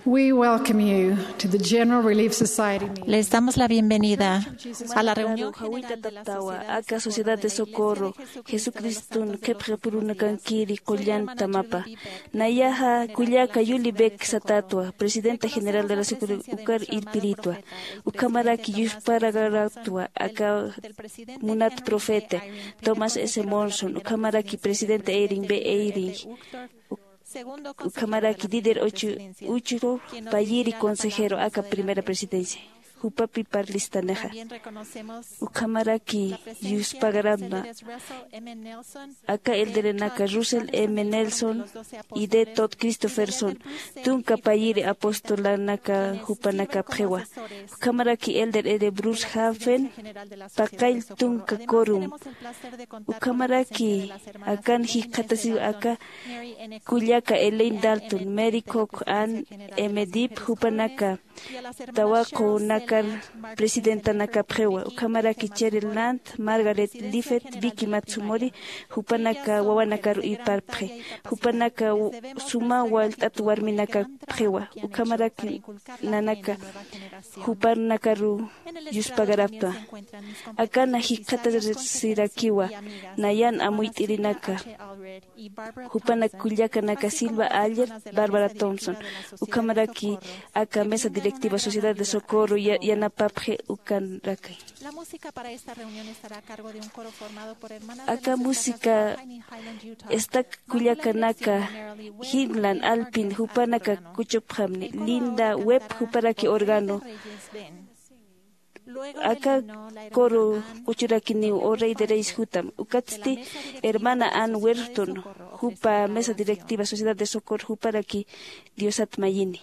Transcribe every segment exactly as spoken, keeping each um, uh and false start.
We welcome you to the General Relief Society meeting. Les damos la bienvenida a la reunión general de la Sociedad de Socorro. Aka Sociedad de Socorro Jesucriston qhipxipurunakankiri qullan tamapa. Nayaxa kullaka Yuli Beck satätwa, Presidenta General de la Socorro, ukar irpiritwa. Ukhamaraki yuspagarätwa aka munat profeta Thomas S. Monson, ukhamaraki Presidenta Eyring B. Eyring, ukhamaraki líder uch-, uchru payiri consejero aka Primera Presidencia, jupapi parlistanixa. Ukhamaraki yuspagarätwa aka elderenaka Russell M. Nelson y D. Todd Christofferson, tunka payiri apostolanaka jupanakapxiwa. Ukhamaraki elder L. Bruce Hafen, paqall tunka quorum. Ukhamaraki akan jikxatasiw aka kullaka Elaine Dalton, Mary Koch, Ann M. Dibb, jupanaka tawaqunakar presidentanakapxiwa. Ukhamaraki Cheryl Land, Margaret Liffett, Vicky Matsumori, jupanaka wawanakaru irparpxi. Jupanaka w-, suma wallt'at warminakapxiwa. Ukhamaraki nanaka jupanakaru yuspagarätwa. Akana jikxatasirakiwa nayan amuyt'irinaka. Jupanak kullakanaka Silva Aller, Barbara Thompson, ukhamaraki aka mesa directiva Sociedad de Socorro ya-, yanapapxi ukanraki. Aka música esta kullakanaka Himlan Alpin, jupanaka kuchupxamni, Linda Webb, juparaki órgano. Aka coro q'uchurakiniw O Rey de Reyes jutam. Ukatsti hermana Ann Werton, jupa mesa directiva Sociedad de Socorro, juparaki Diosat mayini.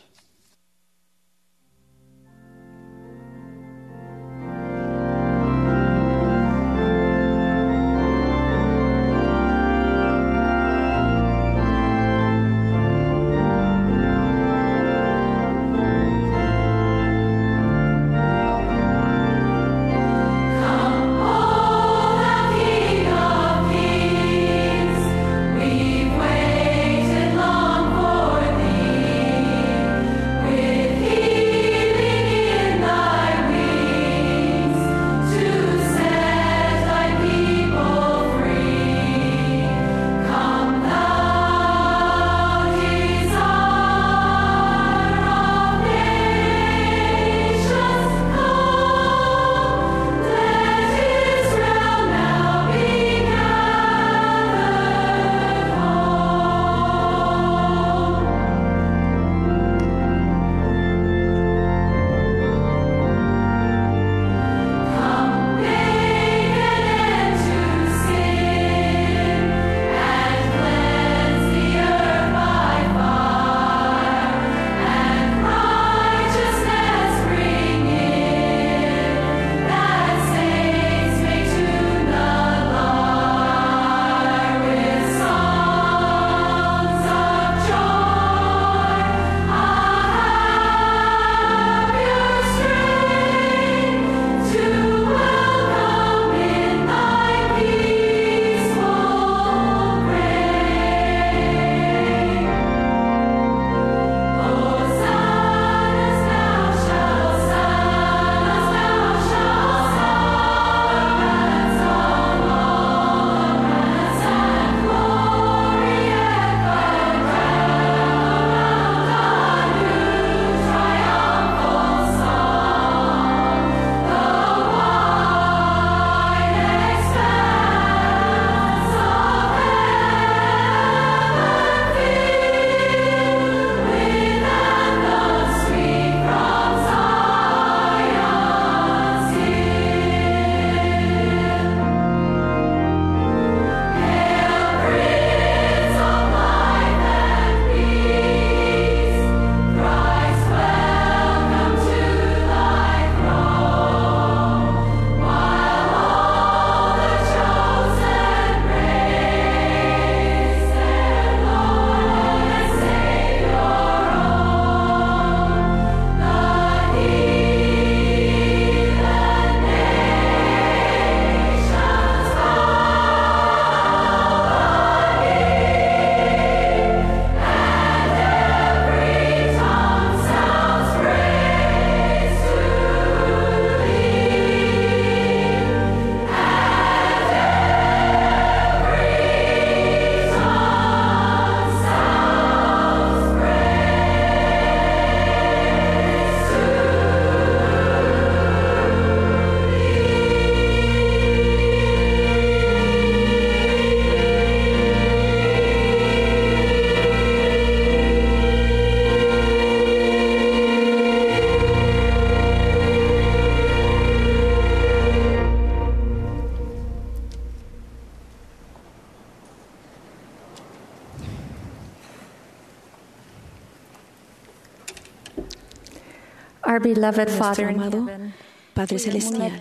Our beloved Father in heaven, Padre celestial,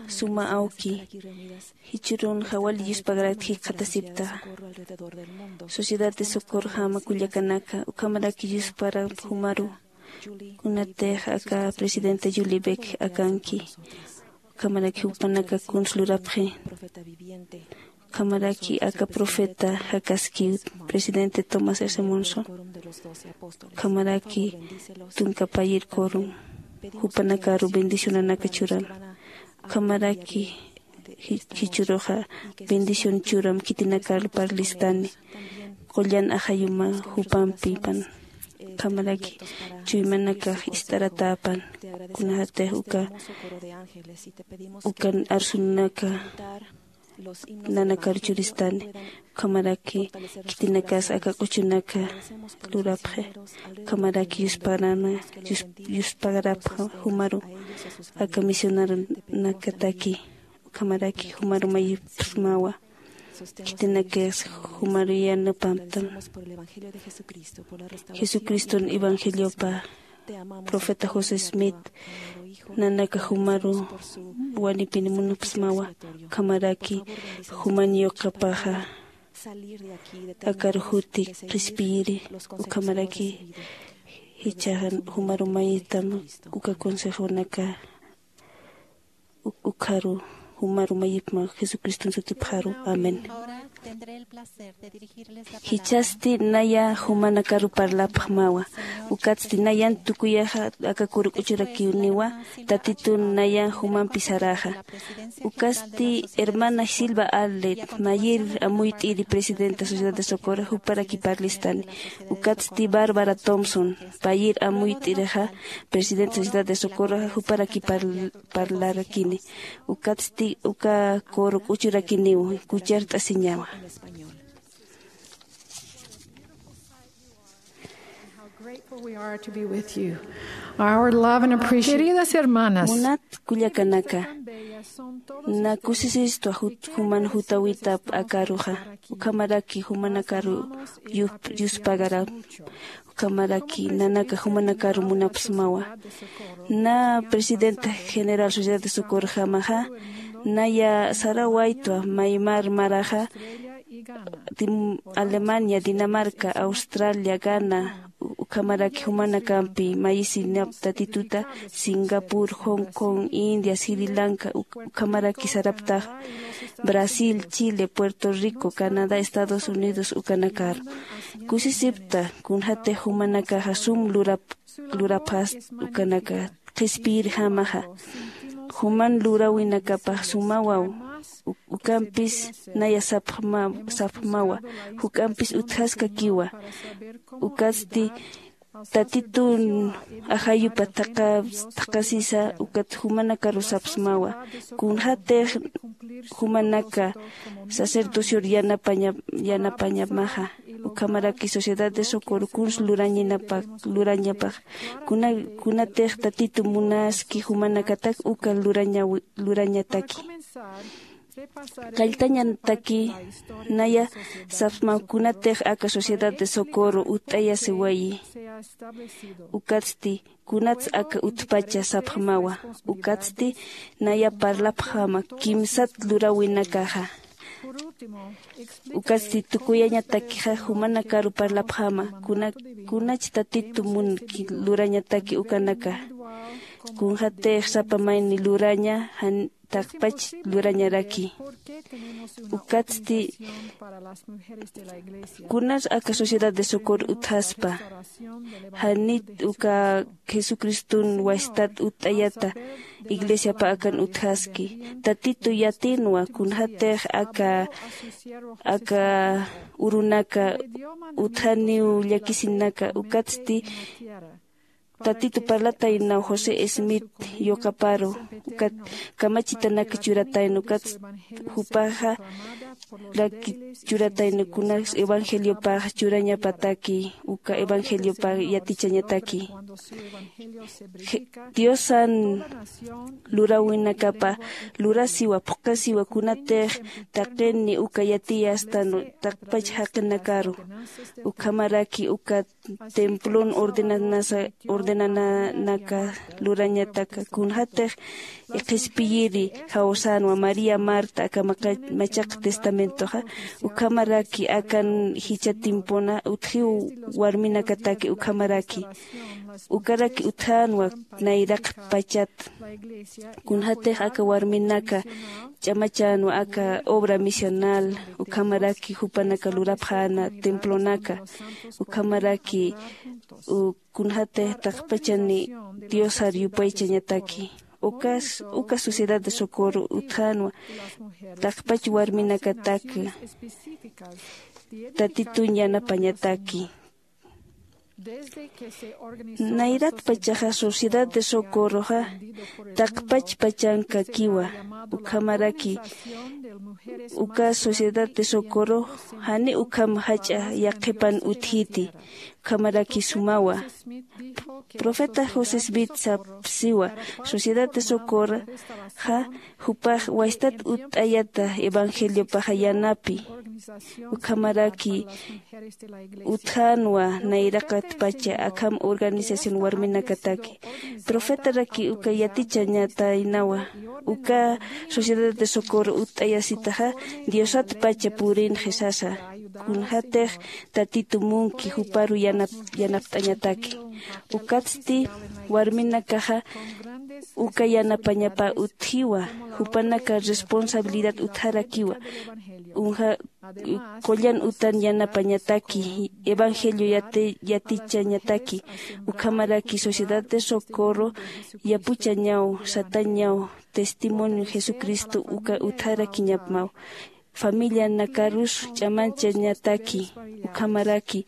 suma awki, jichhürunxa wali yuspagarakta jikxatasipta. Sociedad de Socorrojama kullakanaka, ukhamaraki yuspagaraw jumaru, kunatix aka presidenta Julie Beck akanki, ukhamaraki jupanaka kuns lurapxi. Ukhamaraki aka profeta jakaskiw, presidente Thomas S. Monson. Ukhamaraki tunka payir corom, jupanakaru bendicionanaka churam. Ukhamaraki ji- jichhüruxa bendición churam khitinakar parlistani. Qullan ajayuma jupampipan. Ukhamaraki chuymanakax ist'aratäpan. Kunatix uka ukan arsunaka nanakar churistani. Ukhamaraki khitinakas aka q'uchunaka lurapxi. Ukhamaraki yuspagarana yus- yuspagarapxa jumaru aka misionarunakataki. Ukhamaraki jumaru mayipxsmawa. Khitinakis jumaru yanapamtam. Jesucriston evangeliopa profeta José Smith nanaka jumaru wanipini munapxsmawa. Ukhamaraki juman yuqapaxa akaru juti qhispiyiri. Ukhamaraki jichhaxa jumaru mayitam uka consejonaka. Uk- ukharu jumaru mayipma Jesucriston sutipxaru. Amén. Jichhasti naya jumanakaru parlapxmawa. Ukatsti nayan tukuyaxa aka kuru k'uchurakiniwa. Tatitun nayan jumampi saraxa. Ukatsti hermana Silva Allet, mayir amuyt'iri presidenta Sociedad de Socorro, juparaki parlistani. Ukatsti Bárbara Thompson, payir amuyt'irixa presidenta Sociedad de Socorro, juparaki parl- parlarakini. Ukatsti uka kuru k'uchurakiniw kuchart'asiñawa. How grateful we are to be with you. Our love and appreciation. Queridas hermanas, munat kullakanaka, na kusisistwa jut- juman jutawitap akaruxa. Ukhamaraki jumanakaru yup- yuspagara. Ukhamaraki nanaka jumanakaru munapxsmawa. Na presidenta general Sociedad de Socorrojamaxa naya sarawaytwa maymar maraxa, Dim- Alemania, Dinamarca, Australia, Ghana, u- ukhamaraki jumanakampi mayisinap Tatituta, Singapur, Hong Kong, India, Sri Lanka, uk- ukhamaraki saraptax Brasil, Chile, Puerto Rico, Canadá, Estados Unidos ukanakar. Kusisipta kunxatix jumanakaxa sum lurap- lurapxast ukanaka qhispiyirjamaxa. Juman luräwinakapax sumawaw, u- ukampis naya sapxma- sapxmawa, juk'ampis utjaskakiwa. Ukatsti Tatitun ajayupa thaqha- thaqhasisa ukat jumanakaru sapxsmawa. Kunxatix jumanaka sacerdocior yanapaña- yanapañamaxa, ukhamaraki Sociedad de Socorro kuns lurañinapa- lurañapax, kuna- kunatix Tatitu munaski jumanakatak uka lurañawi- lurañataki. Qalltañataki naya sapxsmaw kunatix aka Sociedad de Socorro utt'ayasiwayi. Ukatsti kunats aka utpacha sapxmawa. Ukatsti naya parlapxama kimsat luräwinakaxa. Ukatsti tukuyañatakixa jumanakaru parlapxama kuna- kunach Tatitu munki lurañataki ukanaka. Kunxatix sapa mayni luraña jan- taqpach lurañaraki. Ukatsti kunas aka Sociedad de Socorro utjaspa, janit uka Jesucriston wastat utt'ayata iglesiapa akan utjaski. Tatitu yatinwa kunxatix aka aka urunaka utjaniw llakisinaka. Ukatsti Tatitu parlataynaw José Smith yuqaparu, ukat kamachitanaka churatayna, ukat jupaxa laki churatayna kunas evangeliopax churañapataki, uka evangeliopax yatichañataki. Diosan lurawinakapa lurasiwa phuqasiwa kunatix taqini uka yatiyastan taqpach jaqinakaru ukhamaraki uka templon ordenanasa ordenananaka lurañataka kunjatix qhispiyiri jawsanwa maría marta aka machaq testamentoxa ukhamaraki akan jichha timpuna utjiw warminakataki ukhamaraki ukaraki utjänwa nayraqat pachat kunjatix aka warminaka ch'amachänwa aka obra misional ukhamaraki jupanaka lurapxäna templonaka ukhamaraki kunjatix taqpachani diosar yupaychañataki ukas uka sociedad de socorro utjänwa taqpach warminakataki tatitun yanapañataki nayratpachaxa sociedad de socorroxa taqpachpachankakiwa ukhamaraki uka sociedad de socorro jani ukham jach'a yaqhipan utjiti ukhamaraki sumawa profeta josé smith sapsiwa sociedad de socorroxa jupax waystat utt'ayata evangeliopaxa yanapi ukhamaraki utjänwa nayraqatpacha akham organización warminakataki profetaraki uka yatichañataynawa uka sociedad de socorro utt'ayasitaxa diosatpacha purinxi sasa kunjatix tatitu munki juparu yanapt'añataki ukatsti warminakaxa uka yanapañapa utjiwa jupanaka responsabilidad utjarakiwa qullan utan yanapañataki evangelio yatichañataki ukhamaraki sociedad de socorro yapuchañaw satañaw testimonio jesucristo uka utjarakiñapmaw familianakarus ch'amanchañataki ukhamaraki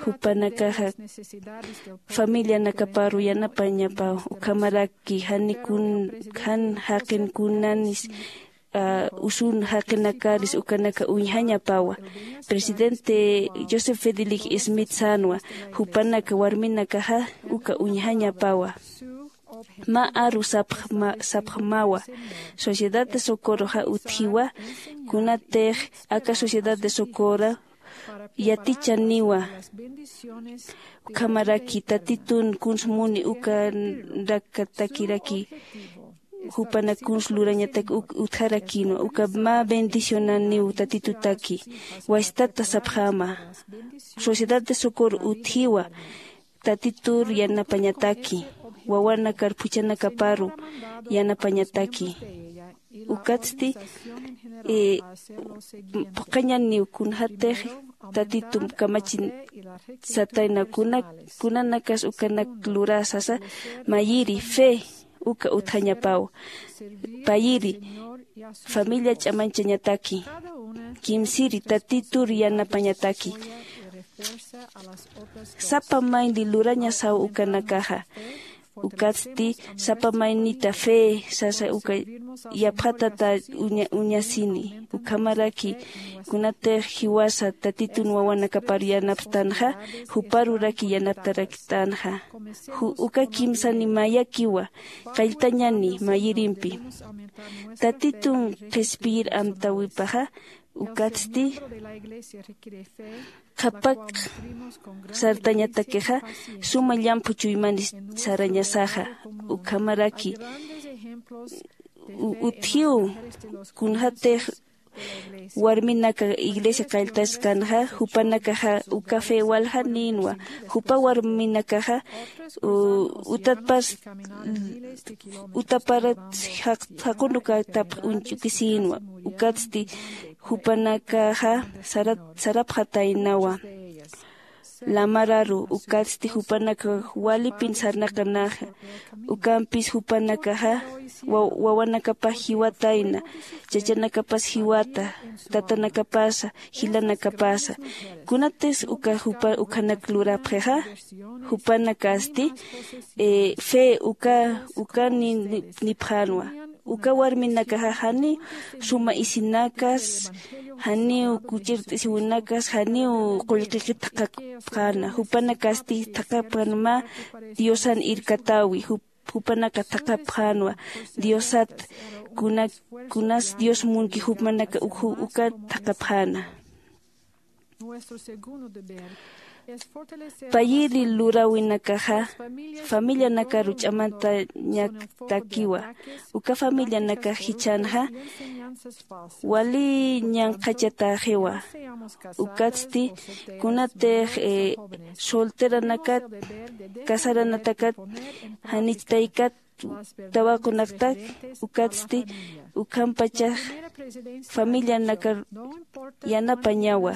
jupanakaxa familianakaparu yanapañapaw ukhamaraki jan jaqin kunanis usun jaqinakaris ukanaka uñjañapawa presidente joseph fedelic smith sänwa jupanaka warminakaxa uka uñjañapawa mä aru sapxmawa sociedad de socorroxa utjiwa kunatix aka sociedad de socorro yatichaniwa ukhamaraki tatitun kuns muni ukanakatakiraki jupanak kuns lurañatak utjarakinwa uka mä bendicionaniw tatitutaki waystata sapxäma sociedad de socorro utjiwa tatitur yanapañataki wawanakar phuchhanakaparu yanapañataki ukatsti phuqhañaniw kunjatix tatitum kamachin satayna kunanakas ukanak lurä sasa mayiri fe uka utjañapaw payiri familia ch'amanchañataki kimsiri tatitur yanapañataki sapa mayni lurañasaw ukanakaxa ukatsti sapa maynita fe sasa uka yapxatata uñasini ukhamaraki kunatix jiwasa tatitun wawanakapar yanapstanxa juparuraki yanaptaraktänxa uka kimsani mayakiwa qalltañani mayirimpi tatitun qhispiyir amtäwipaxa ukatsti qhapak sartañatakixa suma llamphu chuymanis sarañasaxa ukhamaraki utjiw kunjatix warminaka iglesia qalltaskanxa jupanakaxa uka fe waljanïnwa jupa warminakaxa utatpas utaparat jaqunukatapx uñch'ukisïnwa ukatsti jupanakaxa sarapxataynawa lamararu ukatsti jupanakax walipin sarnaqanaxa ukampis jupanakaxa wawanakapax jiwatayna chachanakapas jiwata tatanakapasa jilanakapasa kunatis uka jupa ukhanak lurapxixa jupanakasti fe uka uka nipxänwa uka warminakaxa jani suma isinakas Janiw kuchirt'isiwinakas janiw qullqikit thaqapxäna. Jupanakasti thaqapxän mä diosan irkatäwi. Jupanaka thaqapxänwa diosat. Kunas dios munki jupanaka uka thaqapxäna. Payiri luräwinakaxa familianakaru ch'amantañaktakiwa. Uka familianakax jichhänxa wali ñanqhachatäxiwa. Ukatsti kunatix solteranakat casaranatakat janichtaykat tawaqunaktak ukatsti ukhampachax familianakar yanapañawa.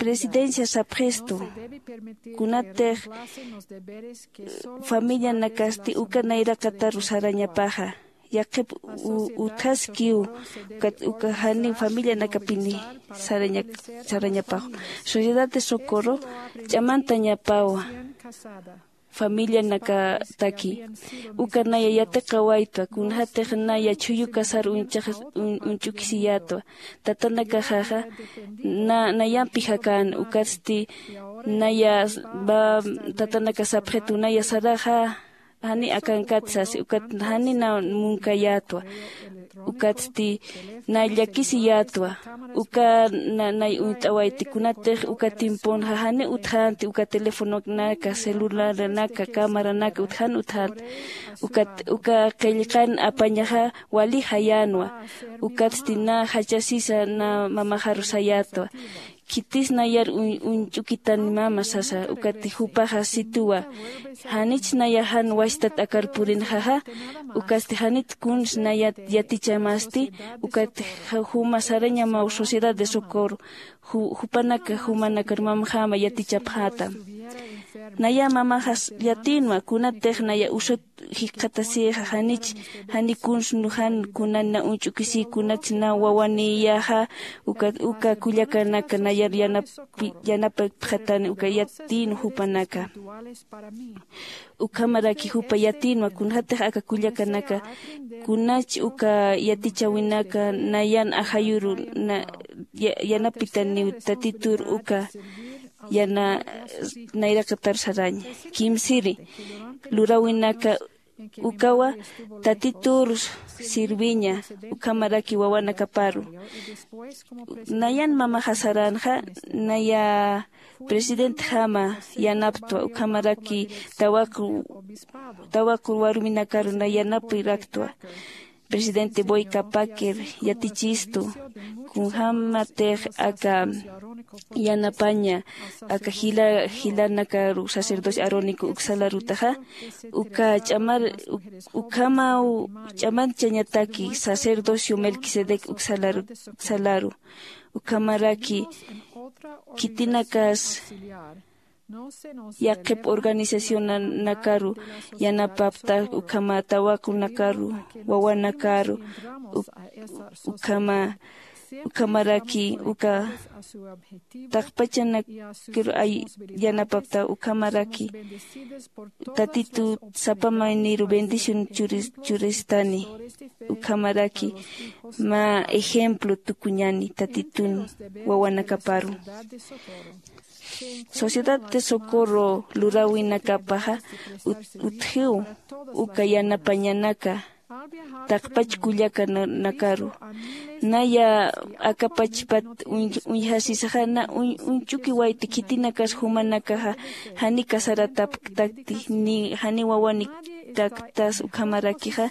Presidencia sapxistu kunatix familianakasti uka nayraqataru sarañapaxa. Yaqhip utjaskiw ukat uka janiw familianakapini sarañapaxu. Sociedad de socorro ch'amantañapawa familianakataki. Uka naya yatiqawaytwa kunxatix naya chhuyu casar uñch'ukisiyätwa. Tatanakaxaxa nayampi jakän ukatsti naya tatanaka sapxitu naya saraxa jani akankat sasi ukat jani na munkayätwa. Ukatsti na llakisiyätwa. Uka nay uñt'awayti kunatix uka timpunxa jani utjänti uka telefononaka celularnaka cámaranaka utjan utjänti. Ukat uka qillqan apañaxa wali jayänwa. Ukatsti na jachasisa na mamaxaru sayätwa. Khitis nayar uñch'ukitani mama sasa ukati jupaxa situwa. Janich naya jan wachtat akar purinxaxa ukasti janit kuns nayat yatichamasti. Ukati juma sarañamaw sociedad de socorro jupanaka jumanakar mamaxama yatichapxätam. Naya mamaxas yatinwa kunatix naya usut jikxatasïxa janich jani kuns nujan kunan na uñch'ukisï kunats na wawaniyaxa. Uka kullakanaka nayar yanapapxatani uka yatïnwa jupanaka. Ukhamaraki jupa yatïnwa kunxatix aka kullakanaka kunach uka yatichäwinaka nayan ajayuru yanapitaniw tatitur uka yana nayraqatar saraña. Kimsiri luräwinaka ukawa tatitur sirviña. Ukhamaraki wawanakaparu nayan mamaxa saränxa naya presidentjama yanaptwa ukhamaraki tawaqu warminakaru na yanapiraktwa. Presidente boyka packer yatichistu kunjämatix aka yanapaña aka jilanakaru sacerdocio arónico uksalarutaxa uka ch'amar ukhamaw ch'amanchañataki sacerdocio melquisedec uksalaru. Ukhamaraki khitinakas yaqhip organizacionanakaru yanapapta ukhama tawaqunakaru wawanakaru ukhama ukhamaraki uka taqpachanakir ay yanapapta ukhamaraki tatitu sapa mayniru bendición churistani. Ukhamaraki mä ejemplo tukuñani tatitun wawanakaparu. Sociedad de socorro luräwinakapaxa utjiw uka yanapañanaka taqpach kullakanakaru naya akapachpat uñjasisaxa na uñch'ukiwayti khitinakas jumanakaxa jani casaratapktaktis ukhamarakixa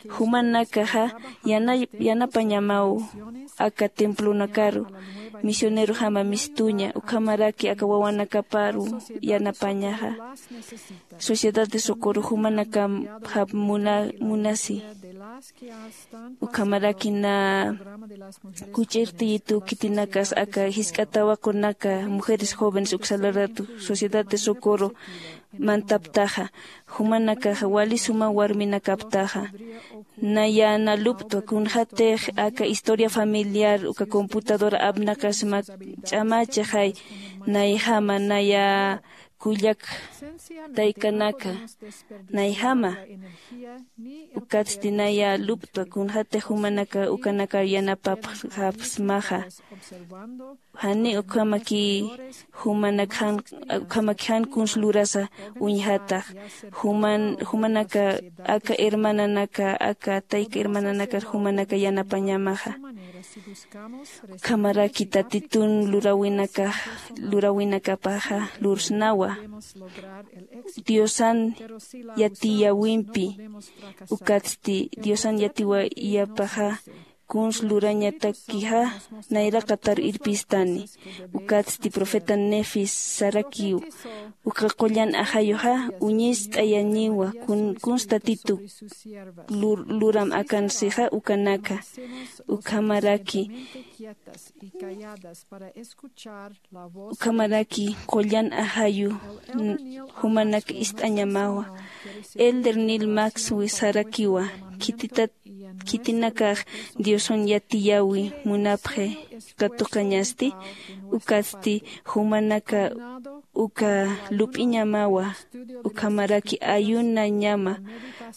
jumanakaxa yanapañamaw aka templonakaru misionerojama mistuña ukhamaraki aka wawanakaparu yanapañaxa. Sociedad de socorro jumanakamxap munasi ukhamaraki na kuch'irtiyitu khitinakas aka jisk'a tawaqunaka mujeres jóvenes uksalaratu sociedad de socorro mantaptaxa jumanakaxa wali suma warminakaptaxa. Naya naluptwa kunxatix aka historia familiar uka computadora apnaqasma ch'amachaxay nayjama naya kullak taykanaka, nayjama, ukatsti naya luptwa, kunxatix jumanaka ukanakar yanapapxapxsmaxa. Jani ukhamaki jumanakjan, ukhamaki jan kuns lurasa uñjatax. Juman, jumanaka aka hermananaka, aka tayka hermananakar jumanaka yanapañamaxa. Ukhamaraki Tatitun lurawinaka, lurawinakapaxa lursnawa. Diosan yatiyäwimpi, ukatsti Diosan yatiyäwipaxa kuns lurañatakixa nayraqatar irpistani. Ukatsti profeta Nefis sarakiw, uka qullan ajayuxa uñist'ayañiwa kun, kuns Tatitu lur, luram akansixa ukanaka. Ukhamaraki, ukhamaraki qullan ajayu n, jumanak ist'añamawa. Elder Neil Maxwell sarakiwa, khititat, khitinakax Diosan yatiyäwi munapxi katuqañasti, ukatsti jumanaka uka lup'iñamawa, ukhamaraki ayunañama,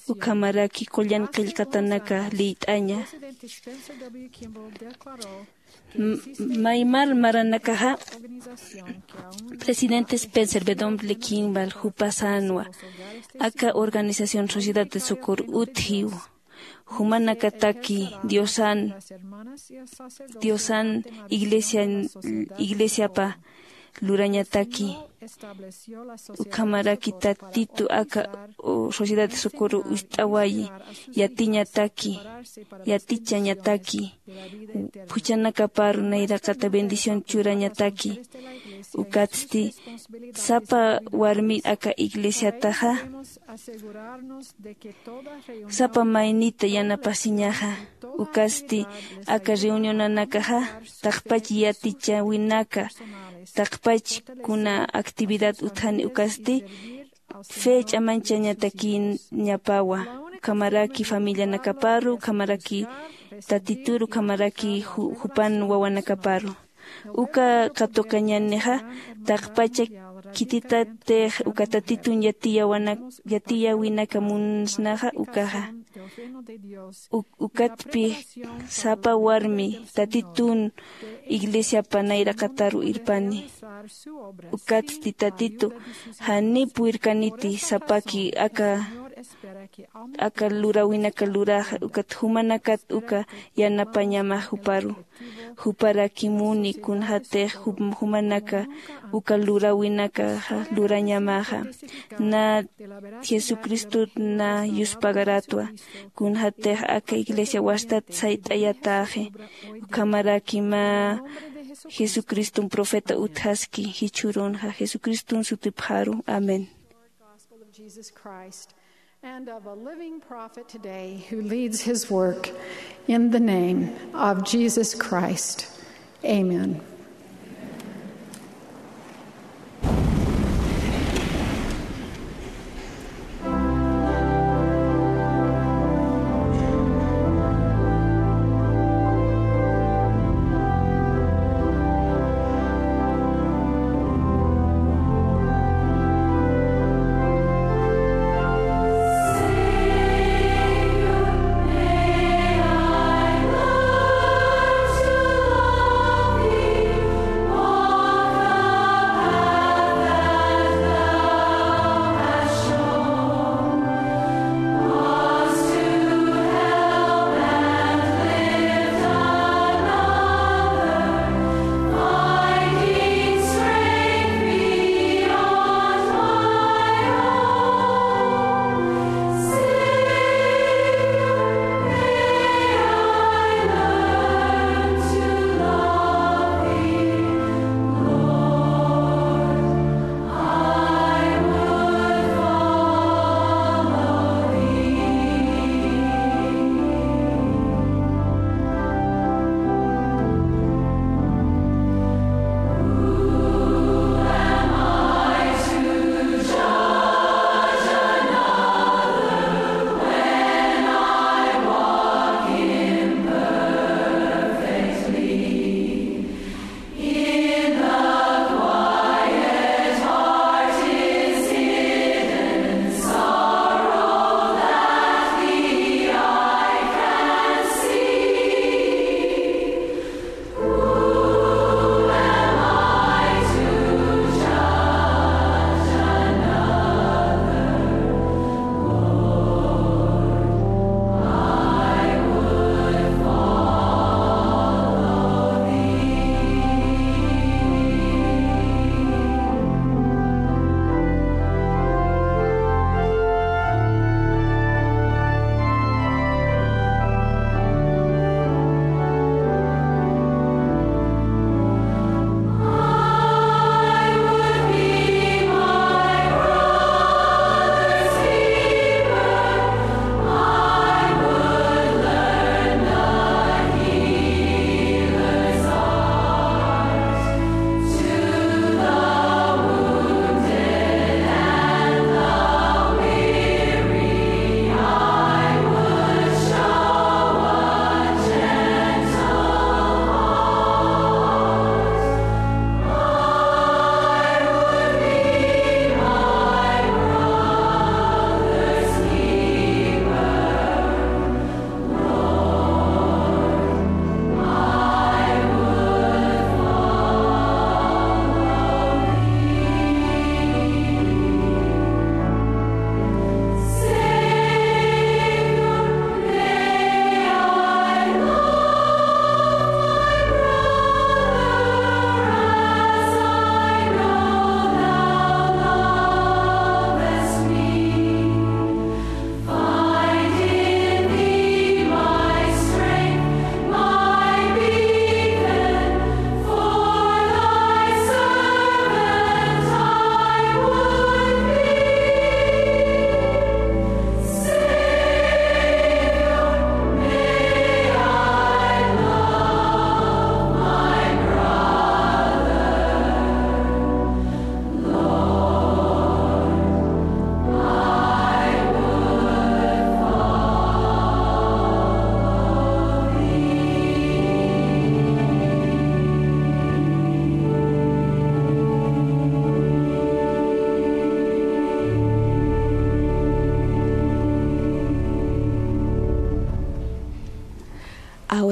ukhamaraki qullan qillqatanaka liyt'aña. M, maymar maranakaxa, presidente Spencer W. Kimball jupasanwa, aka organización Sociedad de Socorro utjiw, jumanakataki Diosan, Diosan iglesia, iglesiapa lurañataki. Ukhamaraki Tatitu aka, o, Sociedad de Socorro ist'awayi, yatiñataki, yatichañataki, phuchhanakapar nayraqata bendición churañataki. Ukatsti sapa warmi aka iglesiataxa, sapa maynita yanapasiñaxa. Ukatsti aka reunionanakaxa taqpach yatichäwinaka, taqpach kuna actividad utjani, ukatsti fe ch'amanchañatakiñapawa. Ukhamaraki familianakaparu, ukhamaraki Tatituru, ukhamaraki ju, jupan wawanakaparu. Uka katuqañänixa taqpacha khititatix uka Tatitun yatiyäwinaka munsnaxa ukaxa. U, ukatpï sapa warmi Tatitun iglesiapa nayraqataru irpani. Ukatsti Tatitu janiw purirkaniti sapaki aka, aka luräwinaka luraxa, ukat jumanakat uka yanapañamax juparu. Juparakimuni kunxatix jum, jumanaka uka luräwinaka lurañamaxa. Na Jesucristot na yuspagaratwa, kunxatix aka iglesia wastat sayt'ayatäxi. Ukhamaraki mä Jesucriston profeta utjaski jichhürunxa, Jesucriston sutipxaru. Amén. Gospel of Jesus Christ and of a living prophet today who leads his work in the name of Jesus Christ. Amen.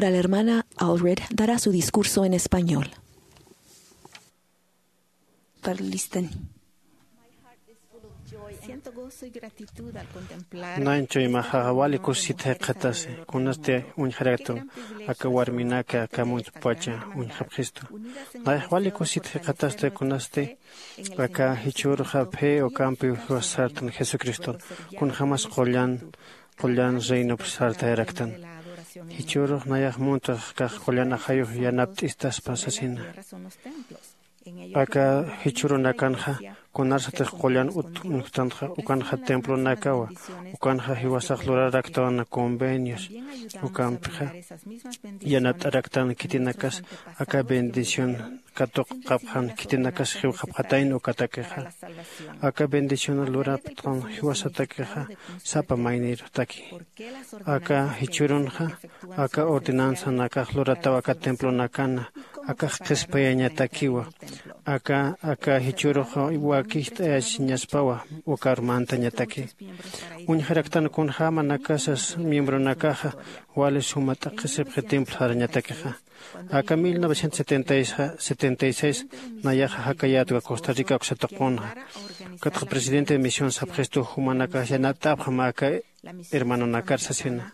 La hermana Allred dará su discurso en español. Parlistan. Naynchu imaxa wali kusit jikxatasi kunasti uñjaraktu aka warminaka aka muntpacha uñjapxistu. Nayax wali kusit jikxatasti kunasti aka jichhürxa phi ukampi jiwas sartan jesucriston kunjämas qullan qullan reinop sartayaraktan. Jichhürux nayax muntux kax qullan ajayux yanapt'istaspa sasina. Aka jichhürunakanxa kunarsatix qullan ut uñjtanxa ukanxa templonakawa ukanxa jiwasax luraraktan convenios ukampixa yanapt'araktan khitinakas aka bendición katuqapxan khitinakas jiwxapxatayna ukatakixa. Aka bendición lurapxtan jiwasatakixa sapa maynirutaki aka jichhürunxa aka ordenanzanakax lurataw aka templonakana akax qhispiyañatakiwa. Aka aka jichhürux wakist'ayasiñaspawa ukarmantañataki. Uñjaraktan kunjämanakasas miembronakaxa wali suma t'aqhisipxi templo sarañatakixa. Aka mil novecientos setenta y seis nayaxa jakayätwa costa rica uksa tuqunxa. Ukatxa presidente de misión sapxistu jumanakax yanapt'apxam aka hermanonakar sasina.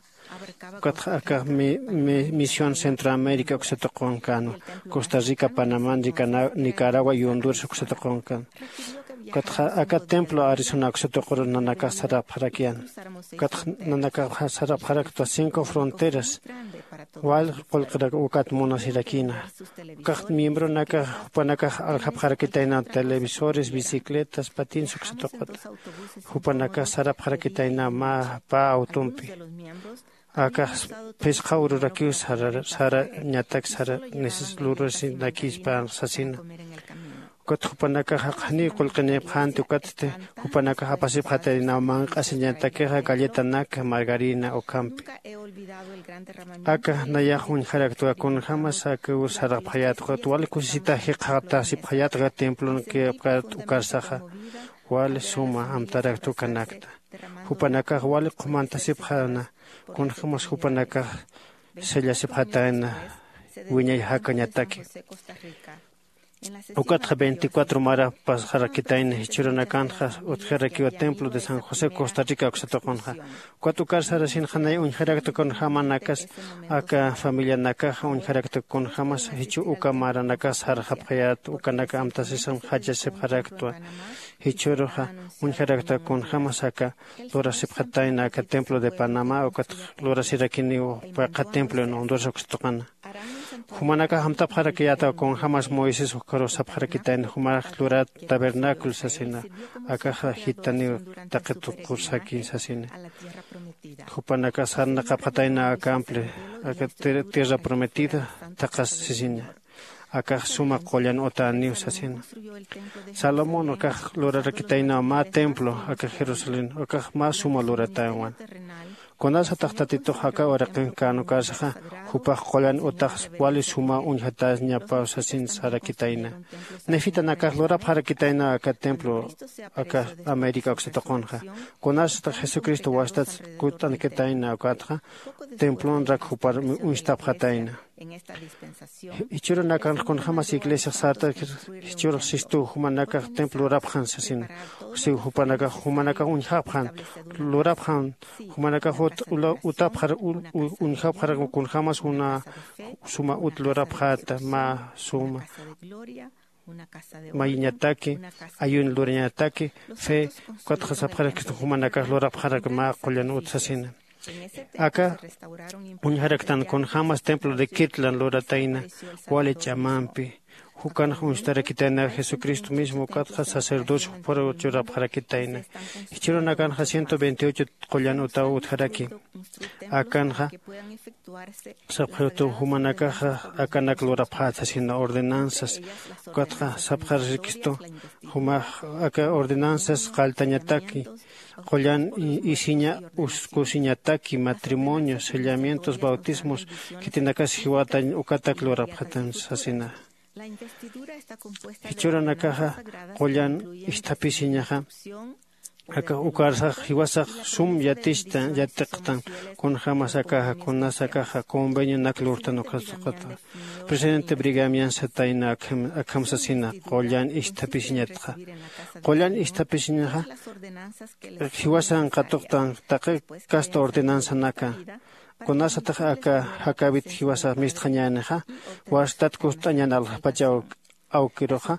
Ukatxa aka misión centroamérica uksa tuqunkanwa costa rica panamá nicaragua y honduras uksa tuqunkan. Ukatxa aka templo arizona uksa tuquru nanakax sarapxarakiyan. Ukatxa nanakax sarapxaraktwa cinco fronteras wal qullqirak ukat munasirakïna. Ukax miembronakax jupanakax aljapxarakitayna televisores bicicletas patins uksa tuquta. Jupanakax sarapxarakitayna mä pä autompi. Akax phisqa ururakiw sarañatak sara neces lurasinakispän sasina. Ukat jupanakax jaqjaniw qullqinipxänti ukatsti jupanakax apasipxataynaw manq'asiñatakixa galletanak margarina ukhampi. Aka nayax uñjaraktwa kunjämas akiw sarapxayät ukat wali kusisita jikxatasipxayät aka templon kipkat ukarsaxa wali suma amtarakta ukanakta. Jupanakax wali qhumantasipxäna kunjämas jupanakax sellasipxatayna wiñay jakañataki. Ukatxa veinticuatro mara pasxarakitayna jichhürunakanxa utjarakiwa templo de san josé costa rica uksa tuqunxa. Ukat ukar sarasinxa nay uñjarakta kunjämanakas aka familianakaxa uñjarakta kunjämas jichhü uka maranakax sarxapxayät ukanaka amtasisam jachasipxaraktwa. Jichhüruxa uñjarakta kunjämas aka lurasipxatayna aka templo de panamá ukat lurasirakiniw paqha templo en honduras uksa tuqana. Jumanakax amtapxarakiyätaw kunjämas moisés ukaru sapxarakitayna jumax lurat tabernáculo sasina. Akaxa jitaniw taqi tuqursaki sasina. Jupanakax sarnaqapxatayna akample aka tierra prometida taqas sisina. Akax suma qullan utäniw sasina. Salomón akax lurarakitaynaw mä templo aka jerusalén akax mä suma luratäwan. Kunasatax tatitux aka uraqin kän ukarsaxa jupax qullan utax wali suma uñjatäñapaw sasin sarakitayna. Nefitanakax lurapxarakitaynaw aka templo aka américa uksa tuqunxa. Kunasatax jesucristo wastat kutt'ankitayna ukatxa templonrak jupar uñstapxatayna. Jichhürunakanx kunjämas iglesiax sartakir jichhürux sistuw jumanakax templo lurapxan sasina. Siw jupanakax jumanakax uñjapxan lurapxan jumanakax utapxar uñjapxarak kunjämas una suma ut lurapxäta mä suma mayiñataki ayun lurañataki fe. Ukatxa sapxarakistun jumanakax lurapxarak mä qullan ut sasina. Aka uñjaraktan kunjämas templo de kirtland luratayna wali ch'amampi. Jukanx uñstarakitayna jesucristo mismo ukatxa sacerdocio jupar churapxarakitayna. Jichhürunakanxa ciento veintiocho qullan utaw utjaraki. Akanxa sapxirtu jumanakaxa akanak lurapxät sasina ordenanzas. Ukatxa sapxarakistu jumax aka ordenanzas qalltañataki qullan isiña uskusiñataki matrimonios sellamientos bautismos khitinakas jiwatañ ukatak lurapxatan sasina. Jichhüranakaxa qullan isthapisiñaxa Aka ukarsax jiwasax sum yatista yatiqtan. Kunjämas akaxa kunas akaxa convenionak lurtan ukasuqata. Presidente brigamian satayna akham sasina qullan isthapisiñatxa. Qullan isthapisiñaxa jiwasan qatuqtan taqi kasta ordenanzanaka. Kunasatix aka jakawit jiwasa mistxañänixa wastat kust'añan alxpachaw awkiruxa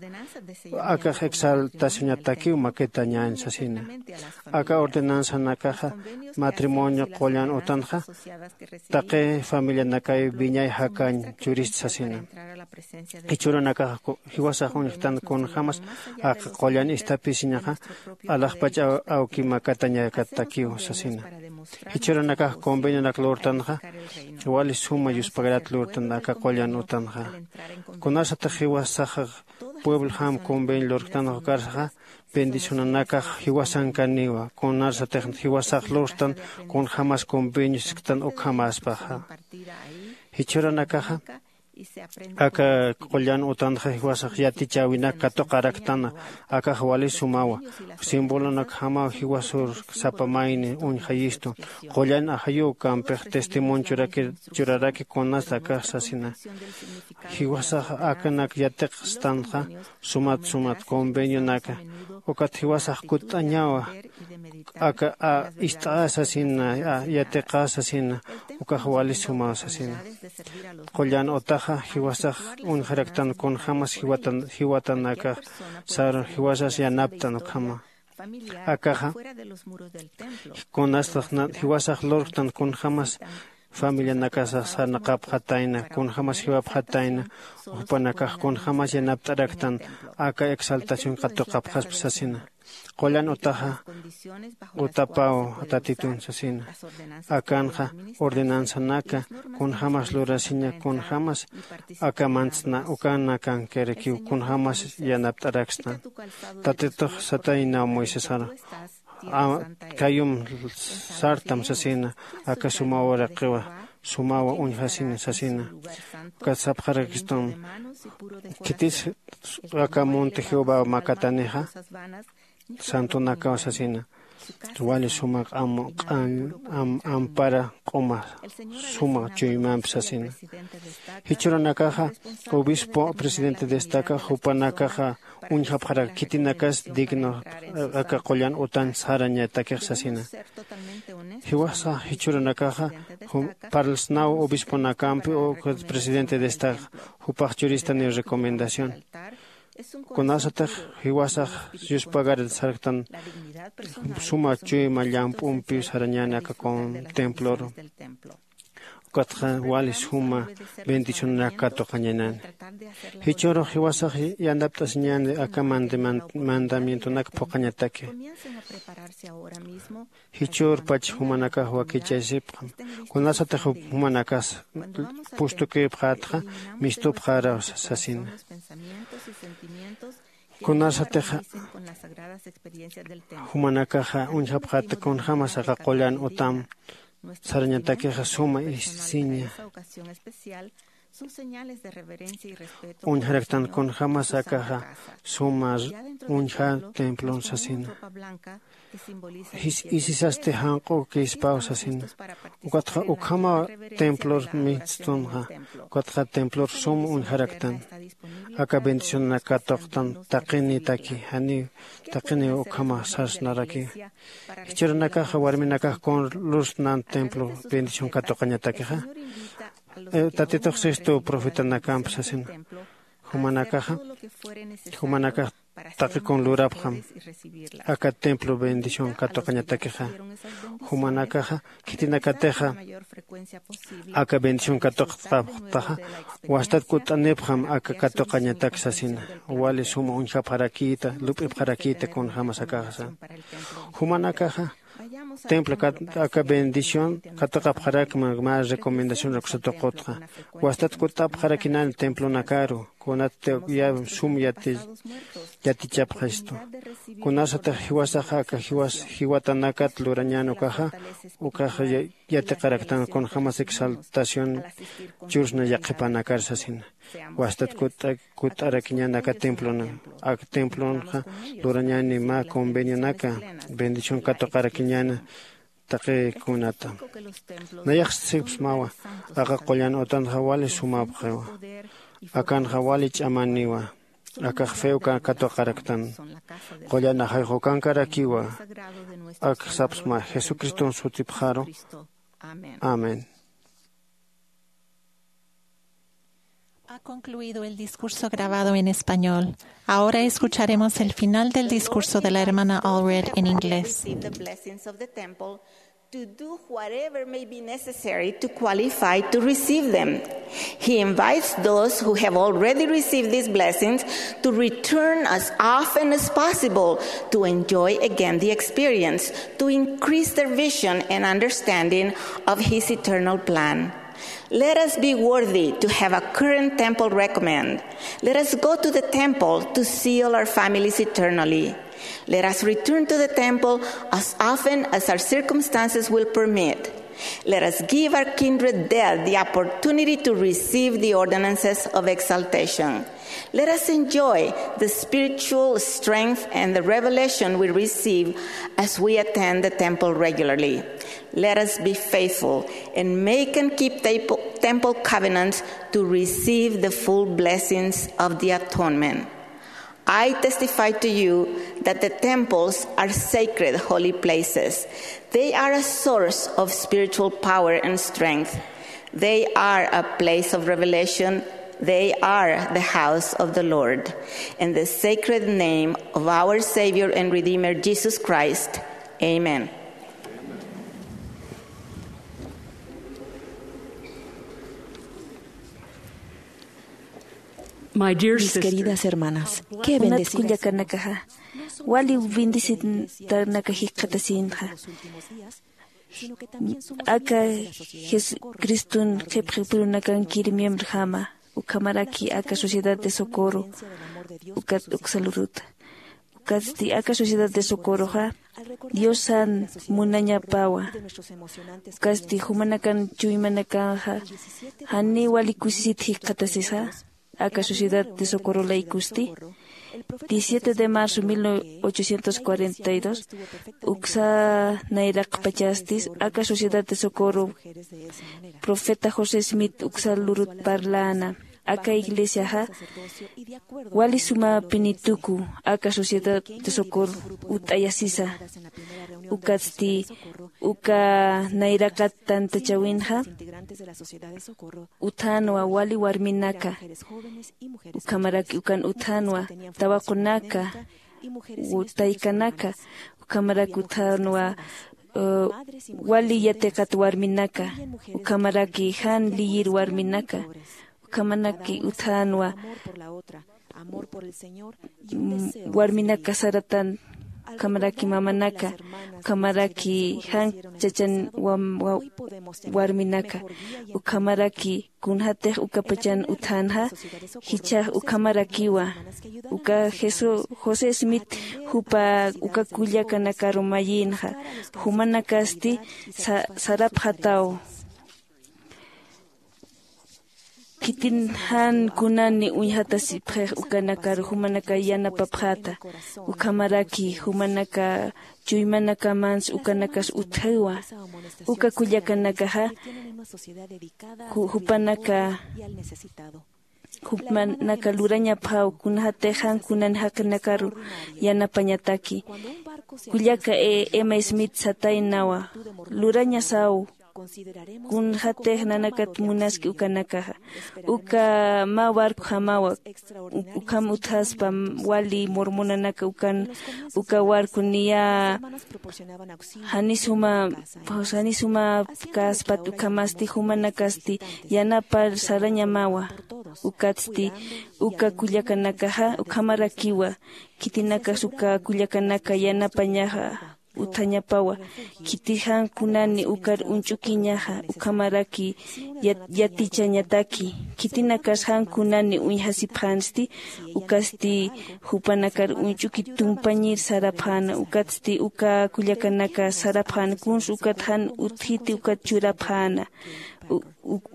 akax exaltacionatakiw makitañäni sasina. Aka ordenanzanakaxa matrimonio qullan utanxa taqi familianakay wiñay jakañ churist sasina. Jichhürunakax jiwasax uñjtan kunjämas aka qullan isthapisiñaxa alaxpach awki makatañakatakiw sasina. Jichhürunakax convenionak lurtanxa wali suma yuspagarat lurtan aka qullan utanxa. Kunasatix jiwasaxa pueblojam convenio lurktanxa ukarsaxa bendicionanakax jiwasankaniwa. Kunasatix jiwasax lurtan kunjämas convenio sisktan ukhamäspaxa. Jichhürunakaxa aka qullan utanxa jiwasax yatichäwinak katuqaraktan. Akax wali sumawa. Simbolonakjamaw jiwasur sapa mayni uñjayistu qullan ajayuw kampix testimonio churaraki kunas akax sasina. Jiwasax akanak yatiqstanxa sumat sumat convenionaka ukat jiwasax kut'añawa. Aka ist'ä sasina yatiqä sasina ukax wali sumaw sasina. Qullan utaxa jiwasax uñjaraktan kunjämas jiwatanakax sar jiwasas yanaptan ukhama. Akaxa kunasatix jiwasax lurktan kunjämas familianakasax sarnaqapxatayna kunjämas jiwapxatayna. Jupanakax kunjämas yanapt'araktan aka exaltación katuqapxaspa sasina. Qullan utaxa utapaw tatitun sasina. Akanxa ordenanzanaka kunjämas lurasiña kunjämas aka mantsna ukanakankirakiw kunjämas yanapt'arakstan. Tatitux sataynaw moisesar kayum sartam sasina. Aka suma uraqiwa sumawa uñjasina sasina. Ukat sapxarakistum khitis aka monte jehovaw makatanixa santonakaw sasina. Wali suma q'am q'an ampara q'uma suma chuymampi sasina. Jichhürunakaxa obispo presidente destaca jupanakaxa uñjapxarak khitinakas digno aka qullan utan sarañatakix sasina. Jiwasa jichhürunakaxa parlsnaw obisponakampi ukat presidente destaca jupax churistaniw recomendación. Kunasatix jiwasax yuspagarat sarktan suma chuyma llamp'umpiw sarañäni aka temploru. Ukatxa wali suma bendicionanak katuqañanani. Jichhürux jiwasax yanapt'asiñäni aka mandamientonak phuqhañataki. Jichhürpach jumanakax wakichasipxam kunasatix jumanakas pustukïpxätxa mistupxäraw sasina. Kunasatixa jumanakaxa uñjapxäta kunjämas aka qullan utam sarañatakixa suma isiña uñjaraktan kunjämas akaxa suma uñjä templon sasina. Isisasti janq'ukïspaw sasina. Ukatxa ukhamaw templor mitstunxa ukatxa templor sum uñjaraktan aka bendicionanak katuqtan taqinitaki janiw taqiniw ukhama sarsnarakiw. Jichhürunakaxa warminakax kun lurstnan templo bendición katuqañatakixa tatitux sistu profetanakamp sasina. Jumanakaxa jumanakax taqi kun lurapxam aka templo bendición katuqañatakixa. Jumanakaxa khitinakatixa aka bendición katuqapxtaxa wastat kut'anipxam aka katuqañatak sasina. Wali suma uñjapxarakïta lup'ipxarakïta kunjämas akaxa sasa. Jumanakaxa templo aka bendición katuqapxarakma mä recomendación raksatuqutxa wastat kut'apxarakinani templonakaru. kunat ya sum yati yatichapxastu. Kunasatix jiwasaxa aka jiwas jiwatanakat lurañän ukaxa, ukaxa ya- yatiqaraktan kunjämas exaltación churasna yaqhipanakar sasina. Wastat kut'a- kut'arakiñän aka templona. Ak templonxa lurañäni mä convenionaka bendición katuqarakiñäna taqi kunata. Nayax sipsmawa, aka qullan utanxa wali sumapxiwa. Akanxa wali ch'amaniwa. Akax few katuqaraktan. Qullan ajayxukankarakiwa. Ak sapsma Jesucriston sutipxaru. Amén. Ha concluido el discurso grabado en español. Ahora escucharemos el final del discurso de la hermana Allred en inglés. Receive the blessings of the temple, to do whatever may be necessary to qualify to receive them. He invites those who have already received these blessings to return as often as possible to enjoy again the experience, to increase their vision and understanding of His eternal plan. Let us be worthy to have a current temple recommend. Let us go to the temple to seal our families eternally. Let us return to the temple as often as our circumstances will permit. Let us give our kindred dead the opportunity to receive the ordinances of exaltation. Let us enjoy the spiritual strength and the revelation we receive as we attend the temple regularly. Let us be faithful and make and keep temple, temple covenants to receive the full blessings of the atonement. I testify to you that the temples are sacred holy places. They are a source of spiritual power and strength. They are a place of revelation. They are the house of the Lord. In the sacred name of our Savior and Redeemer Jesus Christ, amen. My dear Mis sisters, queridas hermanas, qué bendecidas. Kullakanakaxa, wali bendecitanaka jikxatasinxa. Aka Jesucriston qhipxipirunakankir miembrojama, ukhamaraki aka Sociedad de Socorro, ukat uksa luruta. Ukatsti aka Sociedad de Socorroxa Diosan munañapawa. Ukatsti jumanakan chuymanakanxa jani wali kusisit jikxatasisa aka Sociedad de Socorro laykusti. Diecisiete de marzo mil ochocientos cuarenta y dos, uksa nayraqpachastis aka Sociedad de Socorro profeta José Smith uksa lurut parlana. Aka iglesiaxa wali sumapini tuku aka Sociedad de Socorro ut'ayasisa. Ukatsti uka nayraqat tantachawinxa uthanwa wali warminaka, ukhamaraki ukan uthanwa tawaqunaka, u- taykanaka, ukhamaraki uthanwa, eh, wali yatiqat warminaka, ukhamaraki jan liyir warminaka, ukhamaraki uthanwa, mm, warminaka saratan, ukhamaraki mamanaka, ukhamaraki jan chachan wam- wa- warminaka, ukhamaraki kunjatix ukapachan uthanxa, jichhax ukhamarakiwa. Uka Jesu- José Smith jupa uka kullakanakaru mayinxa, jumanakasti sa- sarapxataw. Khitin jan kunani uñjatasipxix ukanakar jumanaka yanapapxäta, ukhamaraki jumanaka chuymanakamansa ukanakas utjäwa. Uka kullakanakaxa ju- jupanaka jupanaka lurañapxäw kunjatix jan kunan jaqinakaru yanapañataki. Kullaka E- Emma Smith sataynawa, lurañasaw kunjatix nanakat munaski ukanakaxa. Uka mä barcojamawa, u- ukham utjaspa wali mormonanaka ukan, uka barco niya janis juma, janis juma kaspat ukhamasti jumanakasti yanapar sarañamawa. Ukatsti uka kullakanakaxa ukhamarakiwa, khitinakas uka kullakanaka yanapañaxa utjañapawa. Khitix jan kunani ukar uñch'ukiñaxa ukhamaraki yatichañataki. Khitinakas jan kunani uñjasipxänsti ukasti jupanakar uñch'uki tumpañir sarapxäna ukatsti uka kullakanaka sarapxäna kuns ukat jan utjiti ukat churapxäna.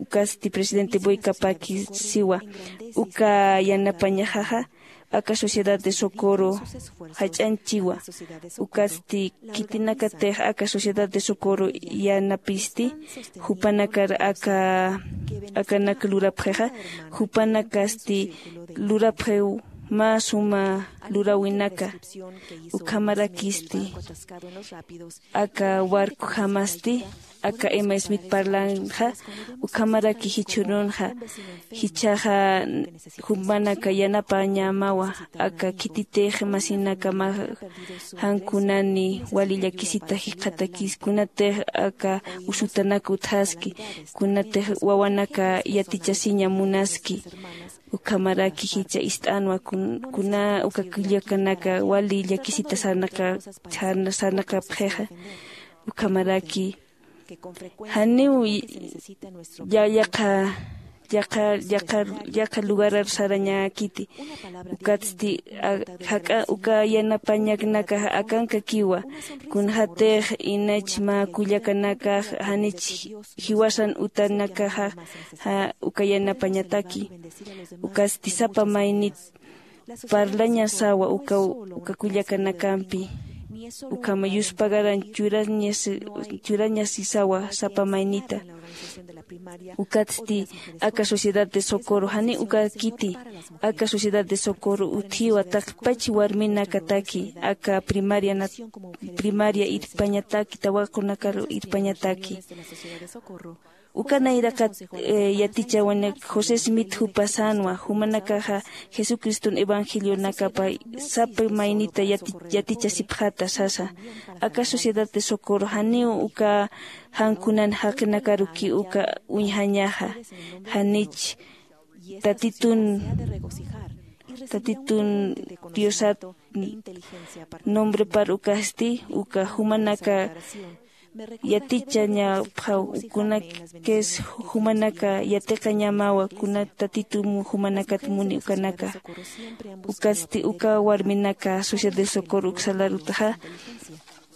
Ukasti presidente boykapaki siwa uka yanapañaxaxa aka sociedad de socorro jach'añchiwa. Ukatsti khitinakatix aka sociedad de socorro yanapisti jupanakar aka akanak lurapxixa jupanakasti lurapxiw mä suma luräwinaka. Ukhamarakisti aka warkujamasti aka emma smith parlanxa ukhamaraki jichhürunxa jichhaxa jumanaka yanapañamawa aka khititix masinaka mä jan kunani wali llakisita jikxatakis kunatix aka usutanak utjaski kunatix wawanaka yatichasiña munaski. Ukhamaraki jichha ist'anwa kuna uka kullakanaka wali llakisita sarnaqapxixa. Ukhamaraki janiw yaqha yaqha yaqha lugarar sarañäkiti. Ukatsti jak'a uka yanapañaknakaxa akankakiwa kunxatix inach mä kullakanakax janich jiwasan utanakaxa uka yanapañataki. Ukatsti sapa maynit parlañasawa uka uka kullakanakampi ukhama yuspagaran churañasisawa sapa maynita. Ukatsti aka sociedad de socorro jani ukakiti aka sociedad de socorro utjiwa taqpach warminakataki aka primaria primaria irpañataki tawaqunakar irpañataki. Uka nayraqat yatichawanak josé smith jupasanwa jumanakaxa jesucriston evangelionakapa sapa maynita yatichasipxata sasa. Aka sociedad de socorro janiw uka jan kunan jaqinakaruki uka uñjañaxa janich tatitun tatitun diosat nombrepar ukasti uka jumanaka yatichañapxaw kunakis jumanaka yatiqañamawa kuna tatitum jumanakat muni ukanaka. Ukatsti uka warminaka sociedad de socorro uksalarutaxa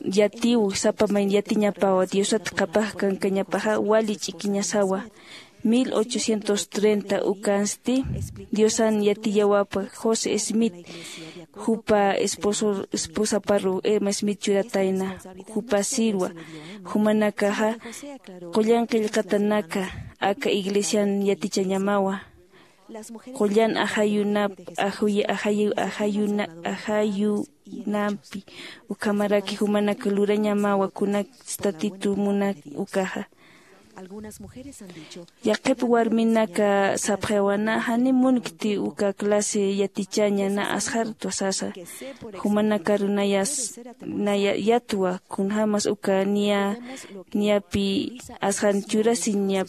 yatiw sapa mayn yatiñapawa diosat qhapaq kankañapaxa wali ch'ikiñasawa. Mil ochocientos treinta ukansti diosan yatiyawapa josé smith jupa esposaparu emma smith churatayna jupa sirwa jumanakaxa qullan qillqatanaka aka iglesian yatichañamawa qullan ajayunap ajayunampi ukhamaraki jumanaka lurañamawa kunatstatitu munak ukaxa. Yaqhip warminaka sapxawana jani munkti uka clase yatichaña na asxartwa sasa. Jumanakaru nayas naya yatwa kunjämas uka niya niyapi asxan churasiña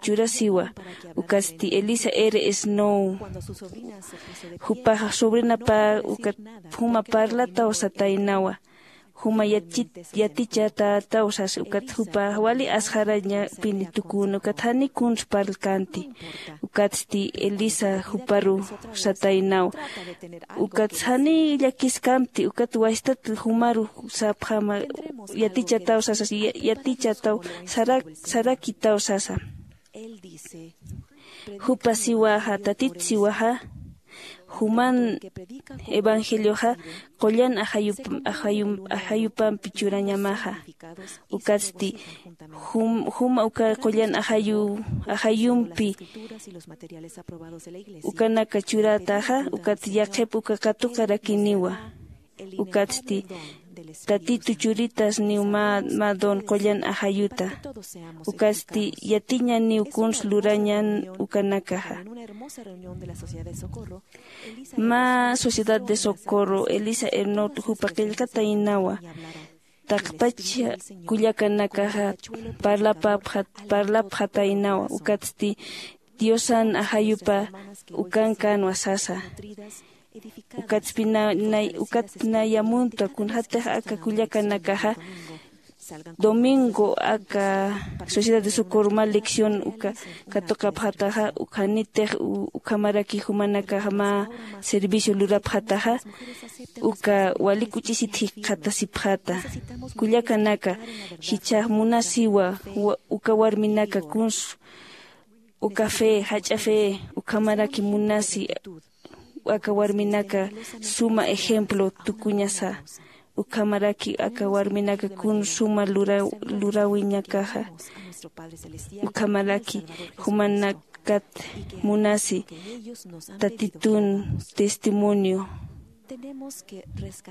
churasiwa. Ukatsti elisa r snow jupax sobrinapä ukat juma parlataw sataynawa. Juma yatichatätaw sasa ukat jupa wali asxarañapini tuküna ukat jani kuns parlkänti. Ukatsti elisa juparu sataynaw ukat jani llakiskamti ukat wastat jumaru sapxama yatichataw sasa yatichataw sarakitaw sasa. Jupa siwaxa tatit siwaxa juman evangelioxa qullan ajayupampi churañamaxa. Ukatsti juma uka qullan ajayumpi ukanaka churätaxa ukat yaqhip uka katuqarakiniwa. Ukatsti tatitu churitasniw mä don qullan ajayuta. Ukatsti yatiñaniw kuns lurañan ukanakaxa. Mä sociedad de socorro elisa ernot jupa qillqataynawa taqpach kullakanakaxa parlapxataynawa ukatsti diosan ajayupa ukankänwa sasa. Ukatspina nay ukatpina yamunta kunjatix aka kullakanakaxa domingo aka sociedad de socorro mä lección uka katuqapxataxa ukhanitix ukhamaraki jumanakaxa mä servicio lurapxataxa uka wali kuch'isit jikxatasipxata. Kullakanaka jichhax munasiwa uka warminaka kunsu uka fe jach'a fe ukhamaraki munasi aka warminaka suma ejemplo tukuñasa. Ukhamaraki aka warminaka kun suma lurawiñakaxa ukhamaraki jumanakat munasi tatitun testimonio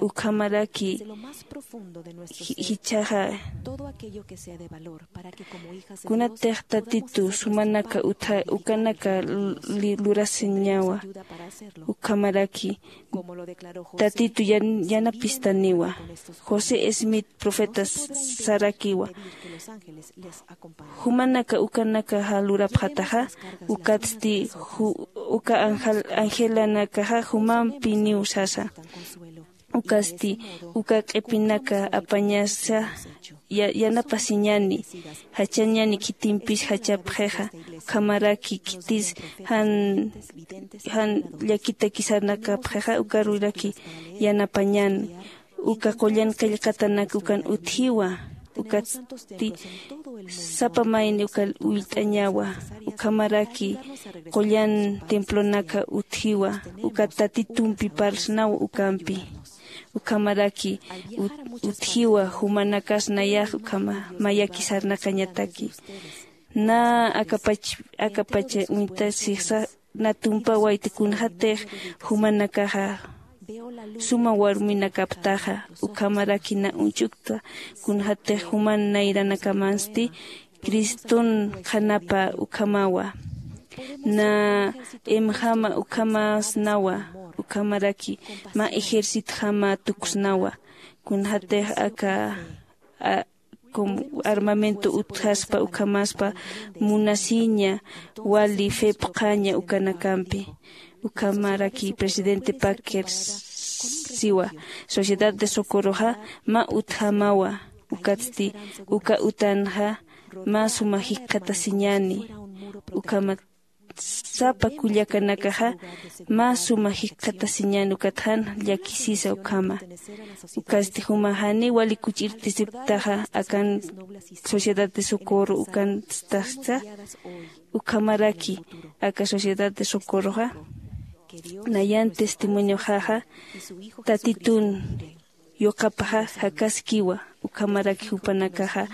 ukhamaraki jichhaxa kunatix tatitu sumanaka ukanaka lurasiñawa ukhamaraki tatitu yanapistaniwa. José smith profeta sarakiwa jumanaka ukanakaxa lurapxataxa ukatsti uka angelanakaxa jumampiniw sasa. Ukasti uka q'ipinaka apañasa yanapasiñani jachañani khitimpis jachapxixa ukhamaraki khitis jan jan llakitaki sarnakapxixa ukaruraki yanapañan uka qullan qillqatanak ukan utjiwa. Ukatsti sapa mayni uka ullt'añawa ukhamaraki qullan templonaka utjiwa uka tatitumpi parlsnaw ukampi ukhamaraki utjiwa jumanakas nayax ukhama mayaki sarnaqañataki. Na akapach akapacha uñtasixsa na tumpawayta kunxatix jumanakaxa suma warminakaptaxa ukhamaraki na uñch'ukta kunxatix juman nayranakamansti criston qhanapa ukhamawa na imjama ukhamasnawa ukhamaraki mä ejercitjama tuksnawa kunxatix aka como armamento utjaspa ukhamaspa munasiña wali fe phuqhaña ukanakampi. Ukhamaraki presidente packer siwa sociedad de socorroxa mä utjamawa ukatsti uka utanxa mä suma jikxatasiñani ukhamat sapa kullakanakaxa mä suma jikxatasiñan ukat jan llakisisa ukhama. Ukasti juma janiw wali kuch'irtisiptaxa akan sociedad de socorro ukanstaxsa ukhamaraki aka sociedad de socorroxa nayan testimonioxaxa tatitun yuqapaxa jakaskiwa. Ukhamaraki jupanakaxa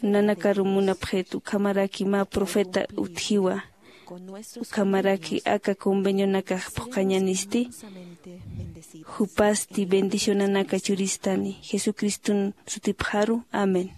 nanakaru munapxit ukhamaraki mä profeta utjiwa ukhamaraki aka convenionakax phuqhañanisti jupasti bendicionanaka churistani jesucriston sutipxaru. Amén.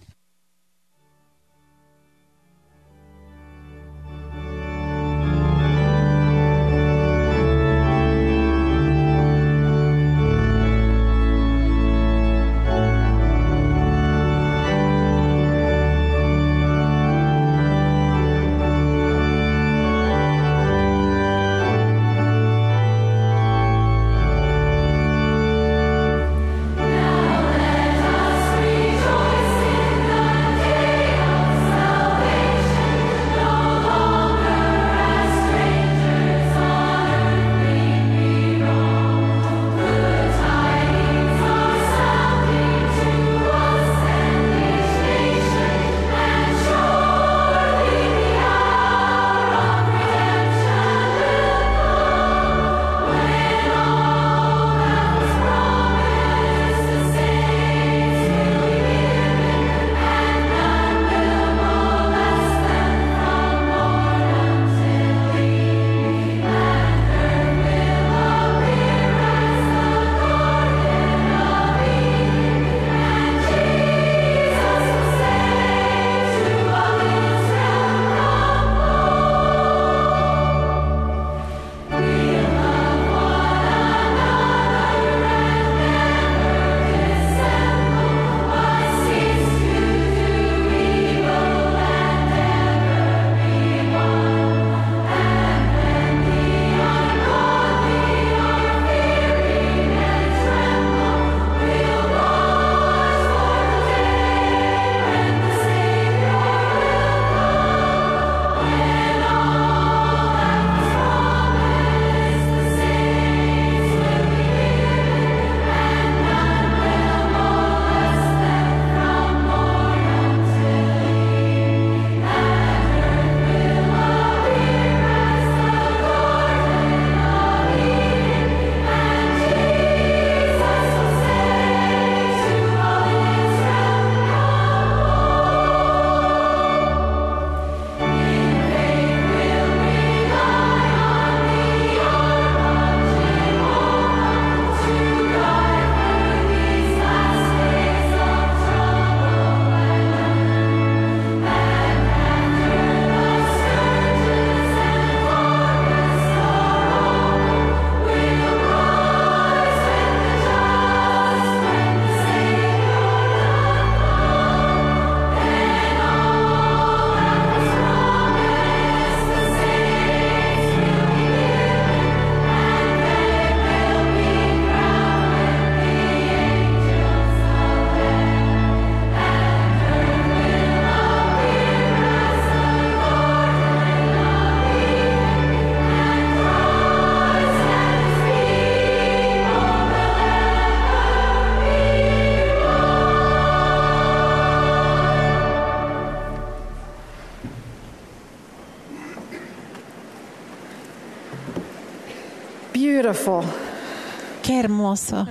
Beautiful. Qué hermoso.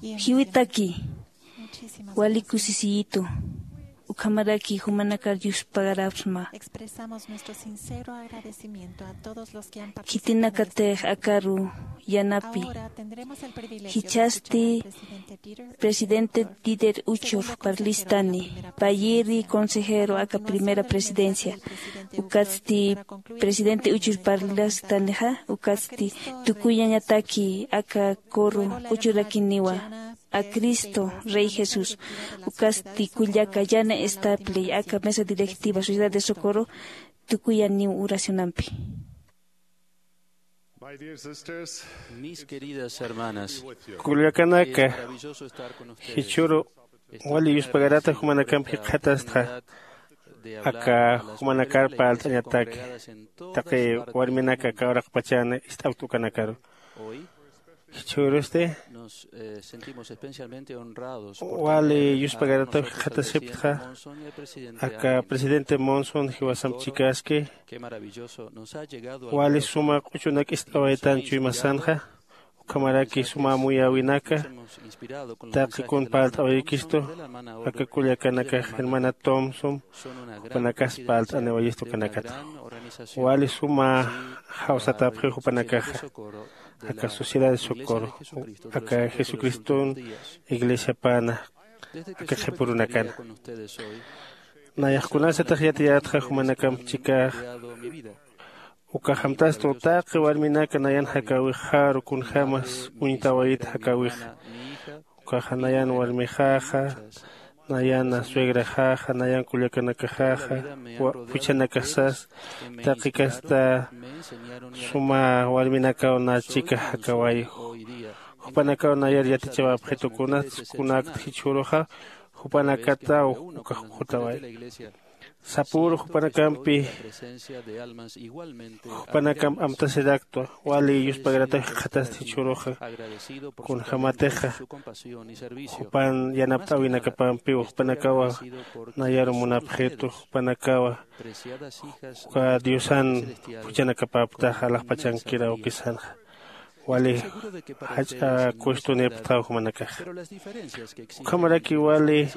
Jiwitaki. Wali kusisiyitu. Ukhamaraki jumanakar yuspagarapsma. Expresamos nuestro sincero agradecimiento a todos los que han participado en este. Khitinakatix akaru yanapi. Ahora tendremos el privilegio de escuchar al presidente Dieter. Jichhasti presidente Dieter Uchur parlastani, payïri consejero aka primera presidencia, ukatsti presidente Uchur parlastanixa, ukatsti tukuyañataki aka coro uchurakiniwa, a Cristo Rey Jesús, ukatsti kullaka Jane Stapley, aka mesa directiva Sociedad de Socorro, tukuyaniw oracionampi. My dear sisters, mis queridas hermanas, kullakanaka, jichhüru wali yuspagarata jumanakamp jikxatastxa, aka jumanakar parlt'añataki, taqi warminaka aka uraqpachan ist'awkt ukanakaru. Jichhürusti wali yuspagarataw jikxatasiptxa, aka presidente Monson jiwasamp chikaski, wali suma q'uchunak ist'awaytan chuymasanxa, ukhamaraki suma amuyäwinaka, taqi kun parlt'awayikistu, aka kullakanakax hermana Thompson, jupanakas parlt'aniwayistu ukanakata. Wali suma jawsatapxiw jupanakaxa, aka Sociedad de Socorro, aka Jesucriston iglesiapana, aka qhipürunakana. Nayax kunasatix yatiyätxa jumanakamp chikax, ukax amtastu taqi warminaka nayan jakäwixaru kunjämas uñtawayit jakäwixa. Ukaxa nayan warmixaxa, nayan suegraxaxa, nayan kullakanakaxaxa, wa-, juchanakax sas, taqi kasta suma warminakaw na chika jakäway. Jupanakaw nayar yatichawapxitu kunats, kunakt jichhüruxa, jupanakataw ukax ukhutaway. Sapüru jupanakampi, jupanakamp amtasiraktwa, wali yuspagarataw jikxatasti jichhüruxa, kunjämatixa, jupan yanapt'äwinakapampiw, jupanakawa nayaru munapxitu, jupanakawa, uka Diosan juchanakapäptaxa, alaxpachankiraw ukisanxa. Wali jach'a kuestionipxtaw jumanakaxa. Ukhamaraki wali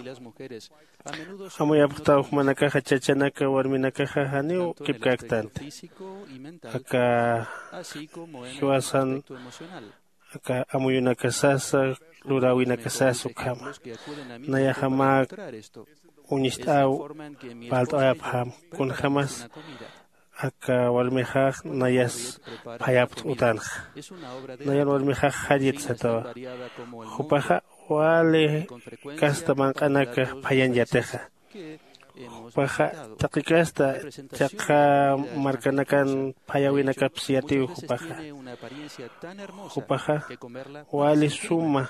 amuyapxtaw jumanakaxa, chachanaka warminakaxa janiw kipkäktanti. Aka jiwasan, aka amuyunaka sasa, luräwinaka sasa ukhama. Nayaxa mä uñist'äw parlt'awayapxam, kunjämas aka warmixax nayas phayapt'utanx. Nayan warmixax jayit satawa. Jupaxa wali kasta manq'anaka phayañ yatixa. Jupaxa taqi kasta chaqha markanakan phayäwinakaps yatiw jupaxa. Jupaxa wali suma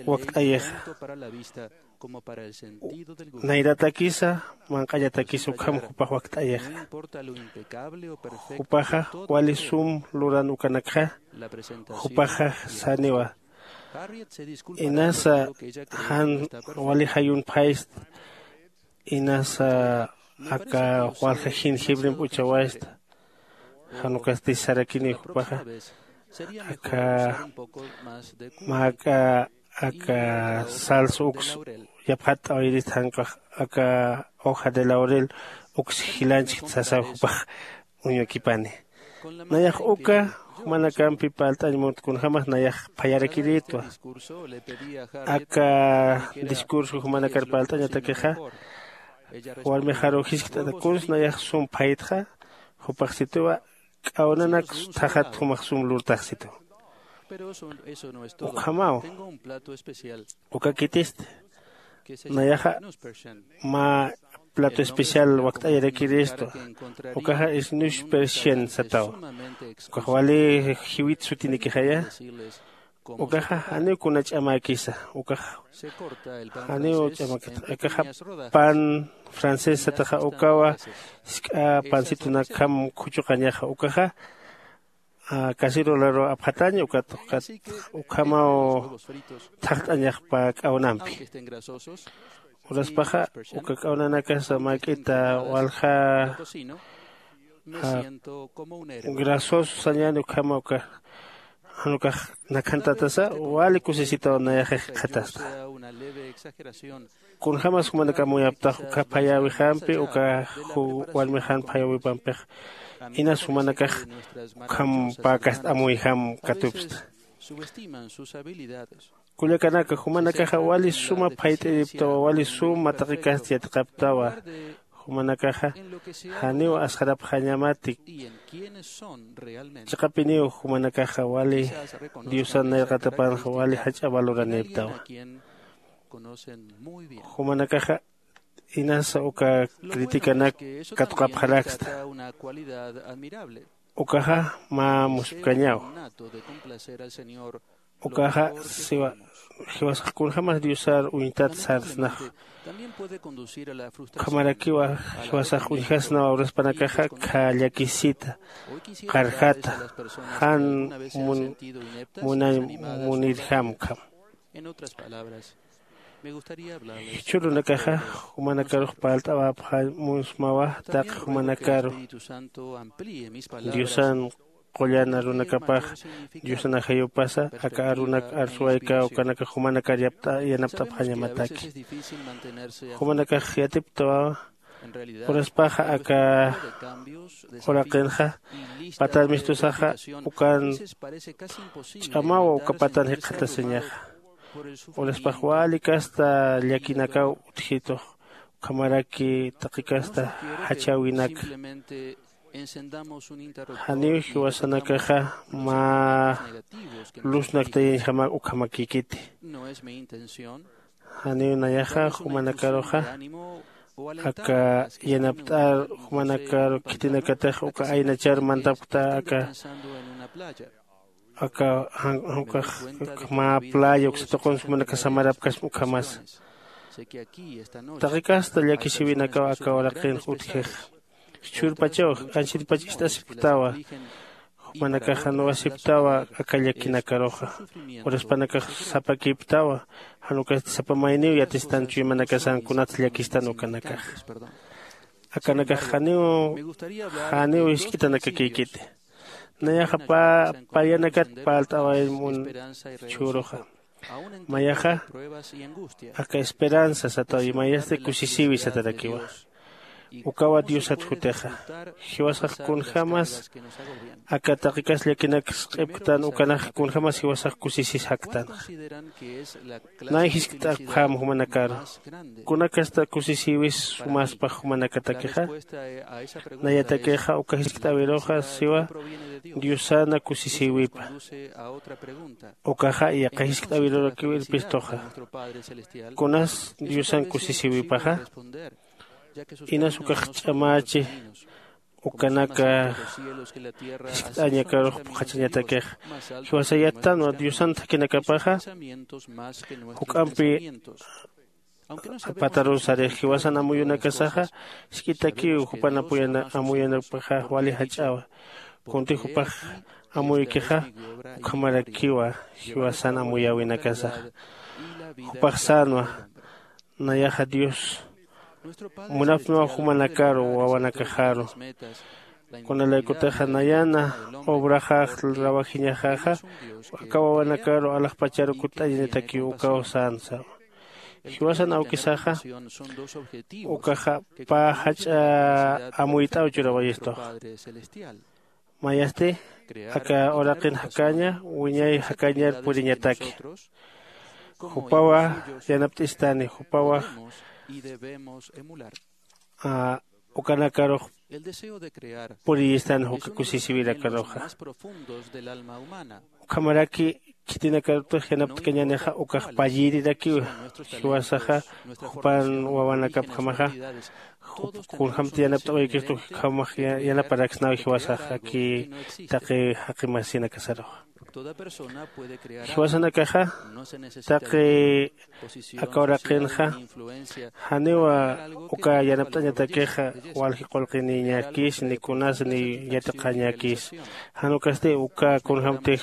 wakt'ayixa. Nayratakisa, manq'añatakisa ukham jupax wakt'ayixa. Jupaxa wali sum luran ukanakxa, jupaxa saniwa. Inasa jan wali jayun phayst, inasa aka walja jin jibrimp uchawaysta. Jan ukasti sarakini jupaxa, aka mä aka salsa uks yapxatt'awayirist, jan ukax aka hoja de laurel uks jilanchkt sasaw jupax uñukipani. Nayax uka jumanakampi parlt'añ munt, kunjämas nayax phayarakirïtwa. Aka discurso jumanakar parlt'añatakixa, warmixaru jiskt'ata, kuns nayax sum phaytxa, jupax situwa, k'awnanak thajat jumax sum lurtax situ. Ukhamaw. Ukakitist. Nayaxa mä plato especial wakt'ayarakirïstu. Ukaxa isnusper cien sataw. Ukax wali jiwit sutinikixaya. Ukaxa janiw kuna ch'amäkisa. Ukax janiw ch'amäkit. Akaxa pan francés sataxa, ukawa jisk'a pansitunakham khuchuqañaxa. Ukaxa cacerolaru apxatañ, ukat ukat ukhamaw thaqt'añaxpa k'awnampi. Uraspaxa uka k'awnanakasa mäk'ita walja Grasoso sañäni ukhama uka jan ukax nakhantatasa wali kusisitaw nayaxa jikxatasta. Kunjämas jumanakax amuyaptax uka phayäwixampi uka warmixan phayäwipampixa inas jumanakax ukham päkast amuyjam katupsta. Kullakanaka, jumanakaxa wali suma phayt'iriptawa, wali suma taqikast yatiqaptawa. Jumanakaxa janiw asxarapxañamati. Chiqapiniw jumanakaxa wali diosan nayraqatapanxa wali jach'a valoranïptawa. Jumanakaxa inasa uka critikanak katuqapxaraksta. Ukaxa mä muspkañaw. Ukaxa siwa jiwasax kunjämas diosar uñtat sarsnaxa. Ukhamarakiwa jiwasax uñjasnawa uraspanakaxa khä llakisita qarjata jan munañ munirjam ukham. Jichhürunakaxa jumanakarux parlt'awapxañ munsmawa taqi jumanakaru diosan qullan arunakapax diosan ajayupasa aka arunak arsuwayka ukanakax jumanakar yanapt'apxañamataki. Jumanakax yatiptawawa uraspaxa aka uraqinxa patan mistusaxa ukan ch'amawa uka patan jikxatasiñaxa. Uraspax wali kasta llakinakaw utjitux ukhamaraki taqi kasta jachäwinaka. Janiw jiwasanakaxa mä luznak tayañjamak ukhamakïkiti. Janiw nayaxa jumanakaruxa aka yanapt'ar jumanakaru khitinakatix uka aynachar mantapkta aka aka jan ukax mä playa uksa tuqunsa jumanakax samarapkasma ukhamasa. Taqi kasta llakisïwinakaw aka uraqinx utjixa. Jichhürpachaw anchhitpach ist'asipktawa. Jumanakax jan wasipktawa aka llakinakaruxa. Uraspanakax sapakïpktawa. Jan ukasti sapa mayniw yatistan chuymanakasan kunats llakistan ukanakaxa. Akanakax janiw janiw jisk'itanakakïkiti. Nayaxa pä payanakat parlt'awayañ mun jichhüruxa. Mayaxa aka esperanza sataw mayasti kusisïwi satarakiwa. Ukawa diosat jutixa. Jiwasax kunjämas aka taqikas llakinaks q'ipktan ukanax kunjämas jiwasax kusisisaktanxa. Nay jiskt'apxäm jumanakaru kunakasta kusisïwis sumaspax jumanakatakixa. Nayatakixa uka jiskt'äwiruxa siwa diosana kusisïwipa. Ukaxa yaqha jiskt'äwirurakiw irpistuxa. Kunas diosan kusisïwipaxa? Inas ukax ch'amächi ukanaka jiskt'añakarux phuqhachañatakixa. Jiwasa yattanwa diosan thakhinakapaxa juk'ampi patarusarix jiwasan amuyunakasaxa jisk'itakiw jupan amuyunapaxa wali jach'awa. Kunti jupax amuykixa ukhamarakiwa jiwasan amuyäwinakasaxa. Jupax sänwa nayaxa dios munapxsmaw jumanakaru wawanakaxaru. Kunalaykutixa nayana obraxax trabajiñaxaxa aka wawanakaru alaxpacharu kutt'añatakiw ukaw sänsa. Jiwasan awkisaxa ukaxa pä jach'a amuyt'aw churawayistuxa. Mayasti aka uraqin jakaña wiñay jakañar puriñataki. Jupawa yanapt'istani jupawa ukanakarux puriyistani juka kusisiwirakaruxa. Ukhamaraki khitinakarutix yanapt'kañänixa ukax payïrirakiwa. Jiwasaxa jupan wawanakapjamaxa kunjämti yanapt'awaykistu ukhamax yanaparaksnaw jiwasaxa aki taqi jaqi masinakasaruxa. Jiwasanakaxa taqi aka uraqinxa janiwa uka yanapt'añatakixa walji qullqiniñakis ni kunas ni yatiqañakis. Jan ukasti uka kunjämtix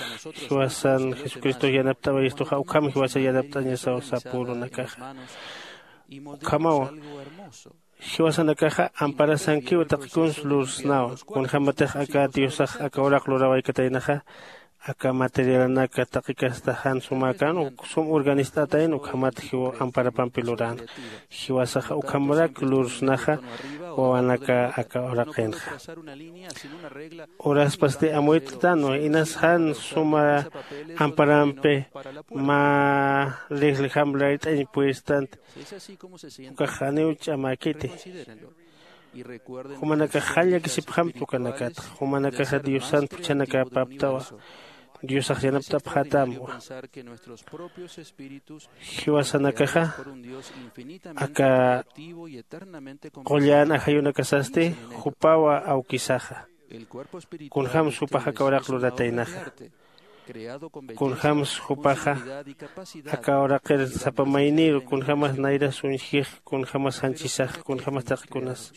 jiwasan jesucristox yanapt'awayistuxa ukham jiwasan yanapt'añasaw sapürunakaxa. Ukhamawa Jiwasanakaxa amparasankiw taqi kuns lursnawa. Kunjämatix aka diosax aka uraq lurawaykataynaxa aka materialanaka taqi kasta jan sumäkän uk sum urganist'atayna ukhamat jiw amparapampi luränxa. Jiwasaxa ukhamarak lursnaxa wawanaka aka uraqinxa. Uraspasti amuyt'tanwa inas jan suma amparampi mä rijlijam layt'añ puestant. Ukax janiw ch'amäkiti. Jumanakax jall llakisipxamta ukanakatxa. Jumanakaxa diosan phuchhanakäpaptawa. Diosax yanapt'apxätamwa. Jiwasanakaxa aka qullan ajayunakasasti jupawa awkisaxa. Kunjämsa jupax aka uraq lurataynaxa. Kunjämsa jupaxa aka uraqir sapa mayniru kunjämas nayras uñjix, kunjämas janchisax, kunjämas taqikunas.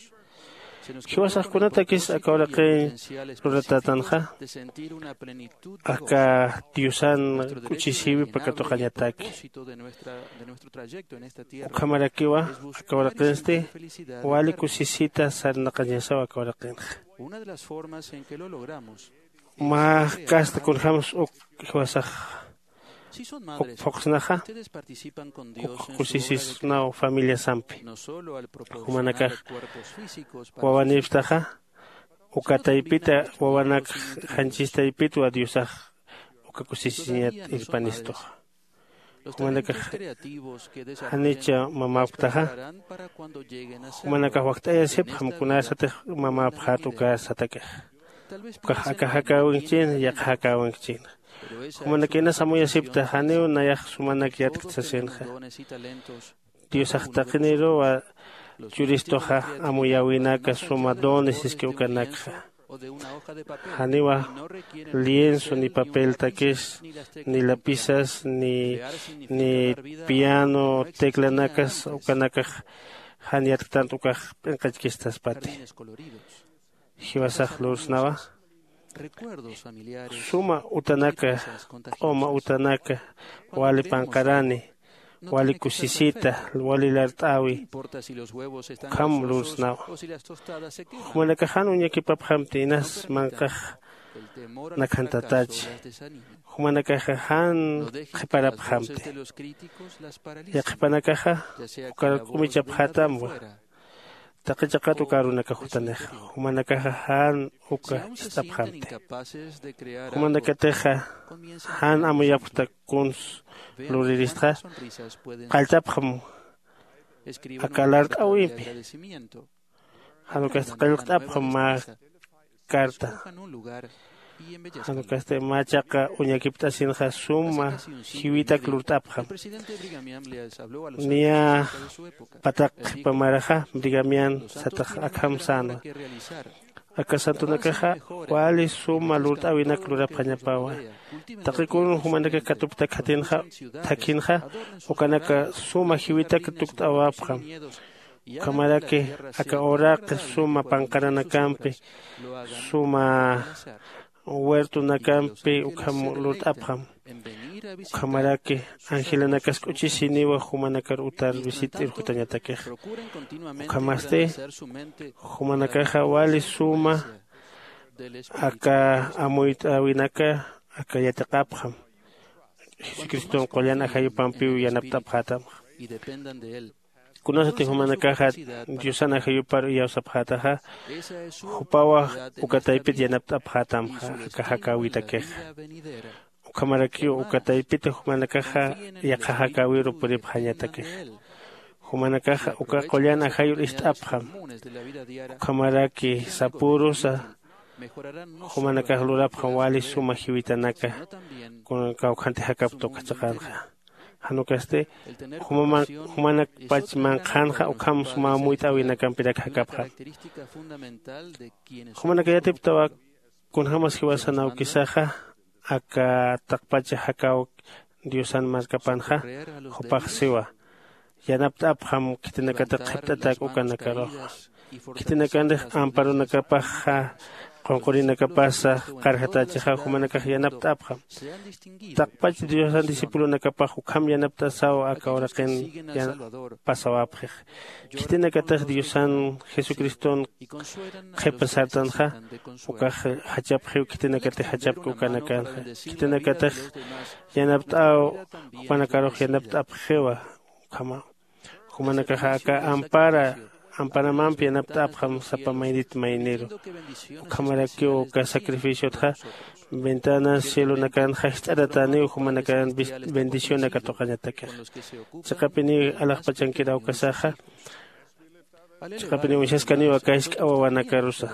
Jiwasax kunatakis aka uraqiñ luratätanxa aka diosan k'uchisïwipa katuqañataki. Ukhamarakiwa aka uraqinsti wali kusisita sarnaqañasaw aka uraqinxa. Mä kasta kunjämsa uk jiwasax uk phuqsnaxa uk kusisisnaw familiasampi. Jumanakax wawanïpxtaxa uka taypita wawanakx janchis taypitwa diosax uka kusisiñat irpanistuxa. Jumanakax janicha mamäpktaxa jumanakax wakt'ayasipxam kunasatix mamäpxät uka satakixa. Ukax aka jakäwinkchïna yaqha jakäwinkchïna. Jumanakax inas amuyasipkta janiw nayax sumanak yatkt sasinxa. Diosax taqiniruwa churistuxa amuyäwinaka suma dones iski ukanakxa. Janiwa lienzo ni papeltakis ni lapisas ni ni piano teclanakas ukanakax jan yatktant ukax p'inqachkistaspati. Jiwasax lursnawa suma utanaka q'uma utanaka wali panqarani wali kusisita wali lart'äwi ukham lursnawa. Jumanakax jan uñakipapxamti inas manq'ax nakhantatachi. Jumanakaxa jan qhiparapxamti. Yaqhipanakaxa ukar k'umichapxätamwa. Taqi chiqat uka arunakax jutanixa jumanakaxa jan uka ist'apxamti. Jumanakatixa jan amuyapxta kuns luriristxa qalltapxam aka lart'äwimpi. Jan ukasti qillqt'apxam mä carta. Jan ukasti mä chiqa uñakipt'asinxa suma jiwitak lurt'apxam. Niya pataq qhipa maraxa brigamian satax akham sänwa. Aka santonakaxa wali suma lurt'äwinak lurapxañapawa. Taqi kun jumanakax katuptak jatinxa thakhinxa ukanaka suma jiwitak tukt'awapxam. Ukhamaraki aka uraqi suma panqaranakampi suma huertonakampi ukham lurt'apxam. Ukhamaraki angelanakas k'uchisiniwa jumanakar utar visit'ir jutañatakixa. Ukhamasti jumanakaxa wali suma aka amuyt'äwinaka aka yatiqapxam. Jesucriston qullan ajayupampiw yanapt'apxätamxa. Kunasati jumanakaxa diosan ajayupar iyawsapxätaxa jupawa uka taypit yanapt'apxätamxa aka jakäwitakixa. Ukhamarakiw uka taypita jumanakaxa yaqha jakäwiru puripxañatakixa. Jumanakaxa uka qullan ajayur ist'apxam. Ukhamaraki sapürusa jumanakax lurapxam wali suma jiwitanaka. Kuna kawkhanti jakapta uka chiqanxa jan ukasti jumanakpach manqhanxa ukham suma amuyt'äwinakampirak jakapxam. Jumanaka yatiptawa kunjämas jiwasan awkisaxa aka taqpacha jakäw diosan markapanxa jupax siwa yanapt'apxam khitinakatix qhipt'atak ukanakaruxa. Khitinakanix amparunakapaxa qunqurinakapasa qarjatachixa jumanakax yanapt'apxam. Taqpach diosan discipulonakapax ukham yanapt'asaw aka uraqin pasawapxix. Khitinakatix diosan jesucriston qhipa sartanxa ukax jachapxiw khitinakatix jachapki ukanakanxa. Khitinakatix yanapt'aw jupanakarux yanapt'apxiwa. Ukhamaw jumanakaxa aka ampara amparamampi yanapt'apxam sapa maynit mayniru. Ukhamarakiw uka sacrificiotxa ventanas cielonakanxa jist'aratäniw jumanakan bendicionaka tuqañatakixa. Chiqapiniw alaxpachankir awkasaxa chiqapiniw uñjaskaniw aka jisk'a wawanakarusa.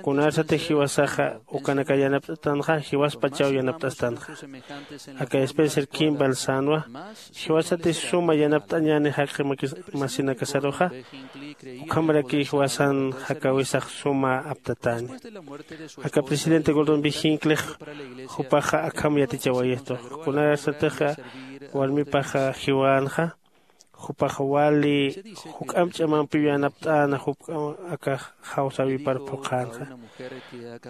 Kunarsatix jiwasaxa ukanaka yanapt'atanxa jiwaspachaw yanapt'astanxa. Aka spencer kimball sänwa jiwasatix suma yanapt'añäni jaqi masinakasaruxa ukhamarakiy jiwasan jakäwisax suma aptatäni. Aka presidente gordon b hinklix jupaxa akham yatichawayistux kunarsatixa warmipaxa jiwänxa jupax wali juk'amp ch'amampiw yanapt'äna jupk'am aka jawsäwipar phuqhänxa.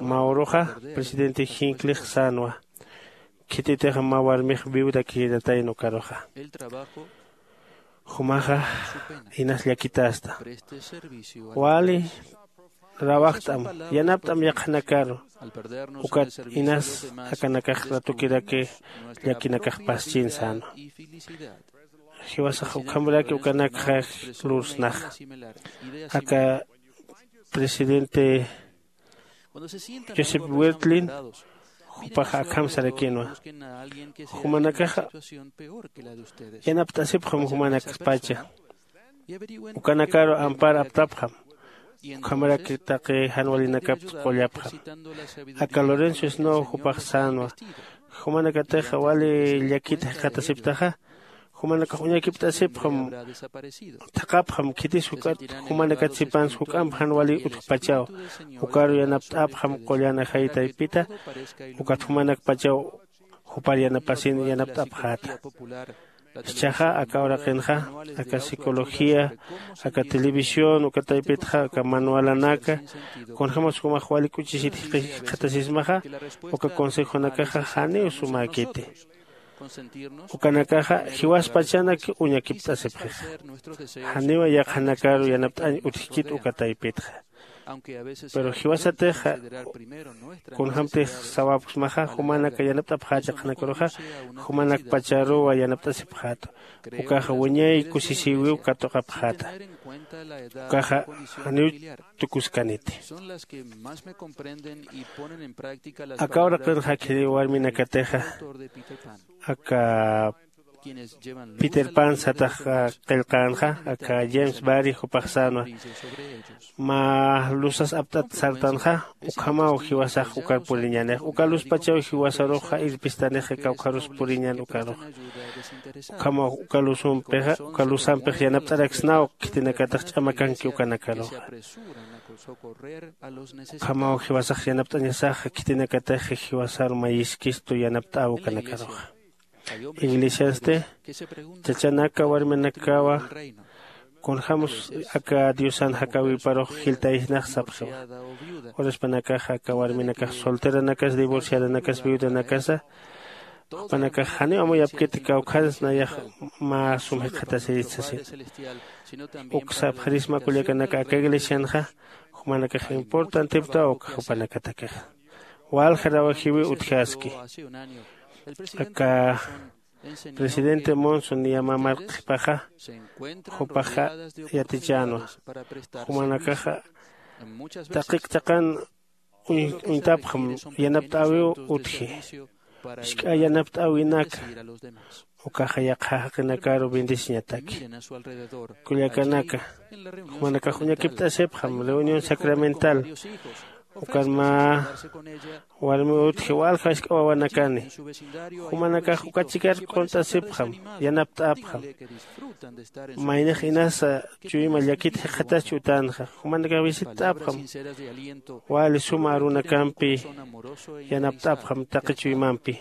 Mä uruxa presidente hinklix sänwa khititix mä warmix viuda quedatayna ukaruxa. Jumaxa inas llakitasta wali rawajt'am yanapt'am yaqhanakaru. Ukat inas akanakax ratukiraki llakinakax paschin sänwa. Jiwasax ukhamraki ukanakxa lursnaxa. Aka presidente joseph wirtlin jupax akham sarakinwa. Jumanakaxa yanapt'asipxam jumanakpacha ukanakaru ampar aptapxam. Ukhamaraki taqi jan walinakaptsa qullapxam. Aka lorenzo snow jupax sänwa jumanakatix wali llakita jikxatasiptaxa jumanakax uñakipt'asipxam. Thaqhapxam khitis juk'at jumanakat sipans juk'amp jan wali utjpachaw ukaru yanapt'apxam qullan ajay taypita ukat jumanakpachaw jupar yanapasin yanapt'apxäta. Jichhaxa aka uraqinxa aka psicología aka televisión uka taypitxa aka manualanaka kunjämas jumax wali k'uchisit jikxatasismaxa uka consejonakaxa janiw sumäkiti. Ukanakaxa jiwaspachanak uñakipt'asipxixa. Janiwa yaqhanakaru yanapt'añ utjkit uka taypitxa. Pero jiwasatixa kunjämtix sawapksmaxa jumanaka yanapt'apxächi qhanakaruxa jumanakpacharuwa yanapt'asipxäta. Ukaxa wiñay kusisïwiw katuqapxäta. Ukaxa janiw tukuskaniti. Aka uraqinxa khiri warminakatixa aka peter pan satax qillqänxa aka james barry jupax sänwa mä lusas apt'at sartanxa ukhamaw jiwasax ukar puriñänix uka luspachaw jiwasaruxa irpistanixa kawkharus puriñän ukaruxa. Ukhamaw uka lusumpixa uka lusampix yanapt'araksnaw khitinakatix ch'amakanki ukanakaruxa. Ukhamaw jiwasax yanapt'añasaxa khitinakatix jiwasaru mayiskistu yanapt'äw ukanakaruxa. Iglesiansti chachanaka warminakawa kunjämus aka diosan jakäwiparux jiltayisnax sapxiwa. Uraspanakaxa aka warminakax solteranakas divorciadanakas viudanakasa jupanakax janiw amuyapkiti kawkhans nayax mä sum jikxatasirit sasin. Uk sapxirisma kullakanaka aka iglesianxa jumanakax importantiptaw uk jupanakatakixa. Walja rawajiwiw utjaski aka presidente monson niya mä marqhipaxa jupaxa yatichänwa. Jumanakaxa taqik taqan uñtapxam yanapt'äwiw utji. Jisk'a yanapt'äwinaka ukaxa yaqha jaqinakaru bendeciñataki. Kullakanaka jumanakax uñakipt'asipxam reunión sacramental ukan mä warmiw utji walja jisk'a wawanakani. Jumanakax uka chikar q'unt'asipxam yanapt'apxam. Maynix inasa chuyma llakit jikxataschi utänxa jumanakax visitt'apxam. Wali suma arunakampi yanapt'apxam taqi chuymampi.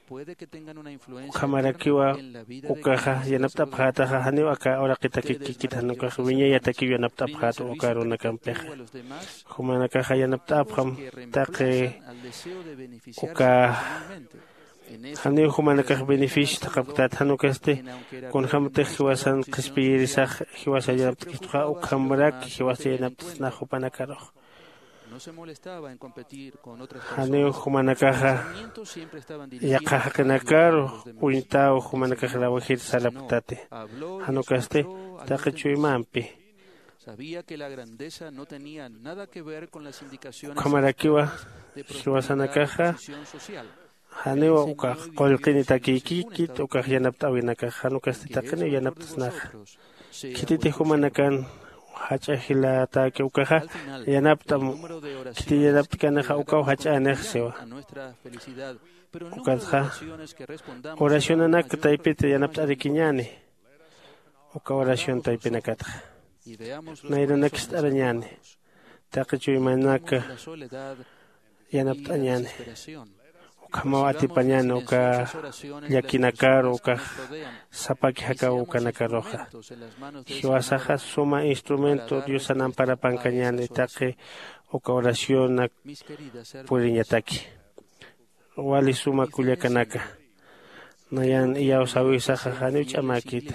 Ukhamarakiwa ukaxa yanapt'apxätaxa, janiw aka uraqitakikikit jan ukax wiñayatakiw yanapt'apxäta uka arunakampixa. Jumanakaxa yanapt'apxam taqi uka janiw jumanakax beneficio thaqhapktat, jan ukasti kunjämtix jiwasan qhispiyirisax jiwasa yanapt'kistuxa, ukhamrak jiwasa yanapt'snax jupanakarux. Janiw jumanakaxa yaqha jaqinakaru uñtaw jumanakax rawajir sarapktati. Jan ukasti taqi chuymampi ukhamarakiwa jiwasanakaxa janiw ukax qullqinitakïkikit ukax yanapt'äwinakax, jan ukasti taqiniw yanapt'snaxa. Khititix jumanakan jach'a jilatäki ukaxa yanapt'am, khitin yanapt'kanixa ukaw jach'änix siwa. Ukatxa oracionanak taypit yanapt'arikiñäni. Uka oración taypinakatxa nayranak jist'arañäni, taqi chuymanak yanapt'añäni. Ukhamaw atipañäni uka llakinakaru ukax sapaki jakaw ukanakaruxa. Jiwasaxa suma instrumento Diosan amparapankañäni taqi uka oracionak puriñataki. Wali suma kullakanaka, nayan iyawsäwisaxa janiw ch'amäkiti.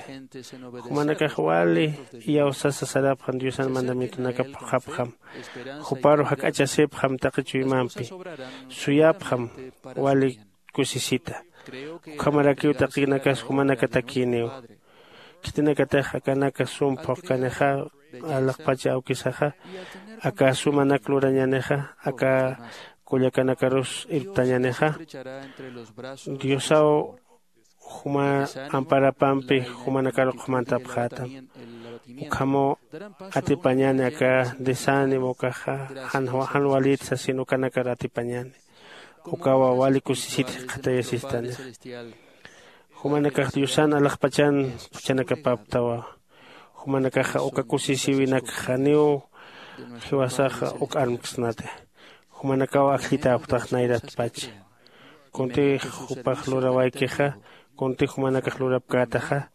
Jumanakax wali iyawsasa sarapxan Diosan mandamientonakap phuqhapxam. Juparu jak'achasipxam taqi chuymampi, suyapxam wali kusisita. Ukhamarakiw taqinakas jumanakatakïniw. Khitinakatix akanaka sum phuqkanixa, alaxpacha awkisaxa, aka sumanak lurañänixa, aka kullakanakarus irptañänixa, Diosaw juma amparapampi jumanakaru qhumantapxätam. Ukhamaw atipañäni aka desánimo ukaxa jan, jan walït sasin ukanakar atipañäni. Ukawa wali kusisit jikxatayasistani. Jumanakax Diosan alaxpachan juchanakapaptawa. Jumanakaxa uka kusisïwinak janiw jiwasaxa uk armksnati. Jumanakaw ajllitäpxtax nayratpacha. Kuntix jupax lurawaykixa, kuntix jumanakax lurapkätaxa,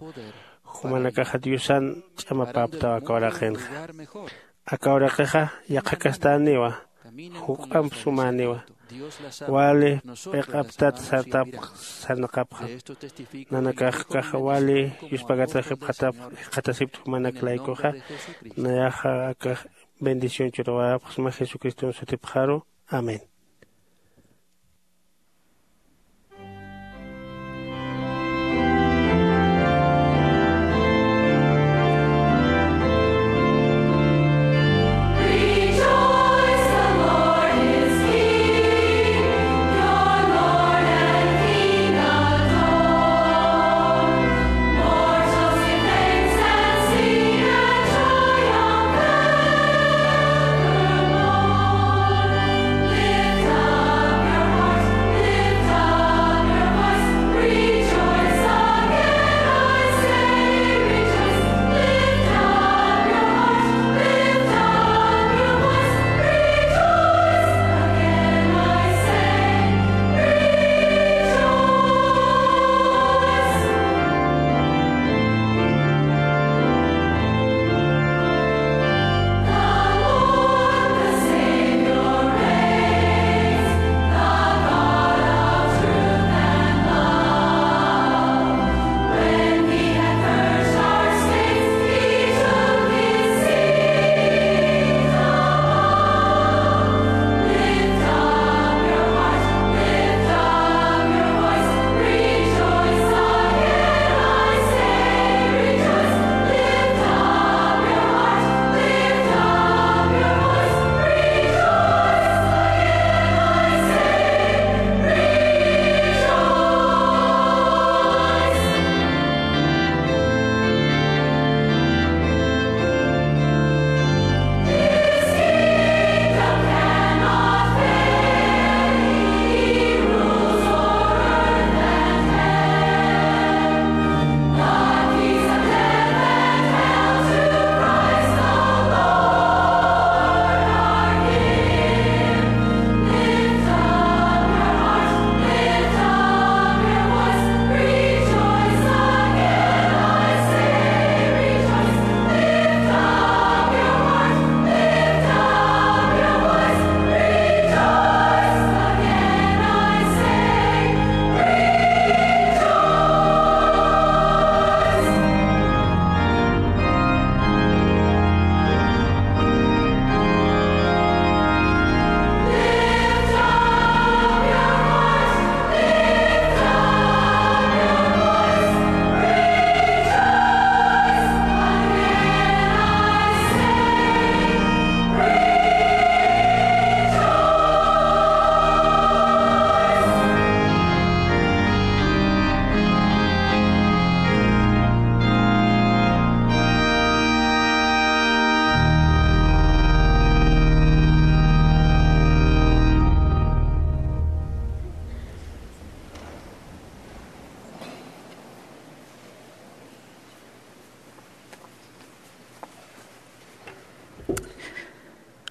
jumanakaxa Diosan ch'amapäptaw aka uraqinxa. Aka uraqixa yaqha castäniwa, juk'amp sumäniwa. Wali p'iq'aptat sartap sarnaqapxam. Nanakax ukaxa wali yuspagatasipxatap jikxatasipta jumanak laykuxa. Nayaxa akax bendición churawayapxsma Jesucriston sutipxaru. Amén.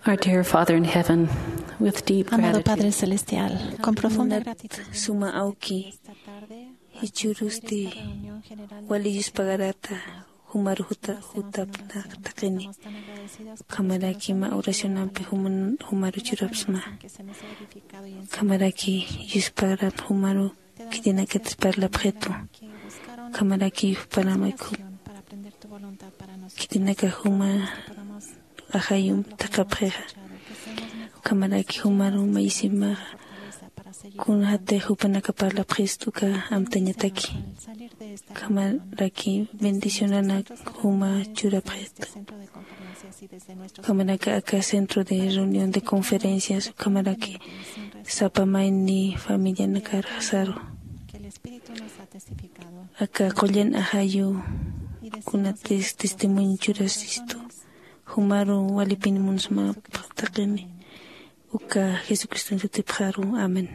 Our dear Father in heaven, with deep Amado gratitude, Padre Celestial, con profunda munat gratitud, suma awki, esta tarde, jichhürusti reunión general de wali yuspagarata jumaru juta jutapna taqini. Ukhamaraki mä oracionampi juman jumaru churapsma. Ukhamaraki yuspagarat jumaru khitinakatis parlapxitu. Ukhamaraki juparamay khitinaka juma ajayum thaqhapxixa. Ukhamaraki jumaru maysimaxa kunjatix jupanaka parlapxistu uka amtañataki. Ukhamaraki bendicionanak juma churapxistu. Ukhamaraki aka centro de reunión de conferencias ukhamaraki sapa mayni familianakar jasaru aka qullan ajayu kunatis testimonio churasistu jumaru walipin munsmapxtaqini. Uka jesucriston sutipxaru, amén.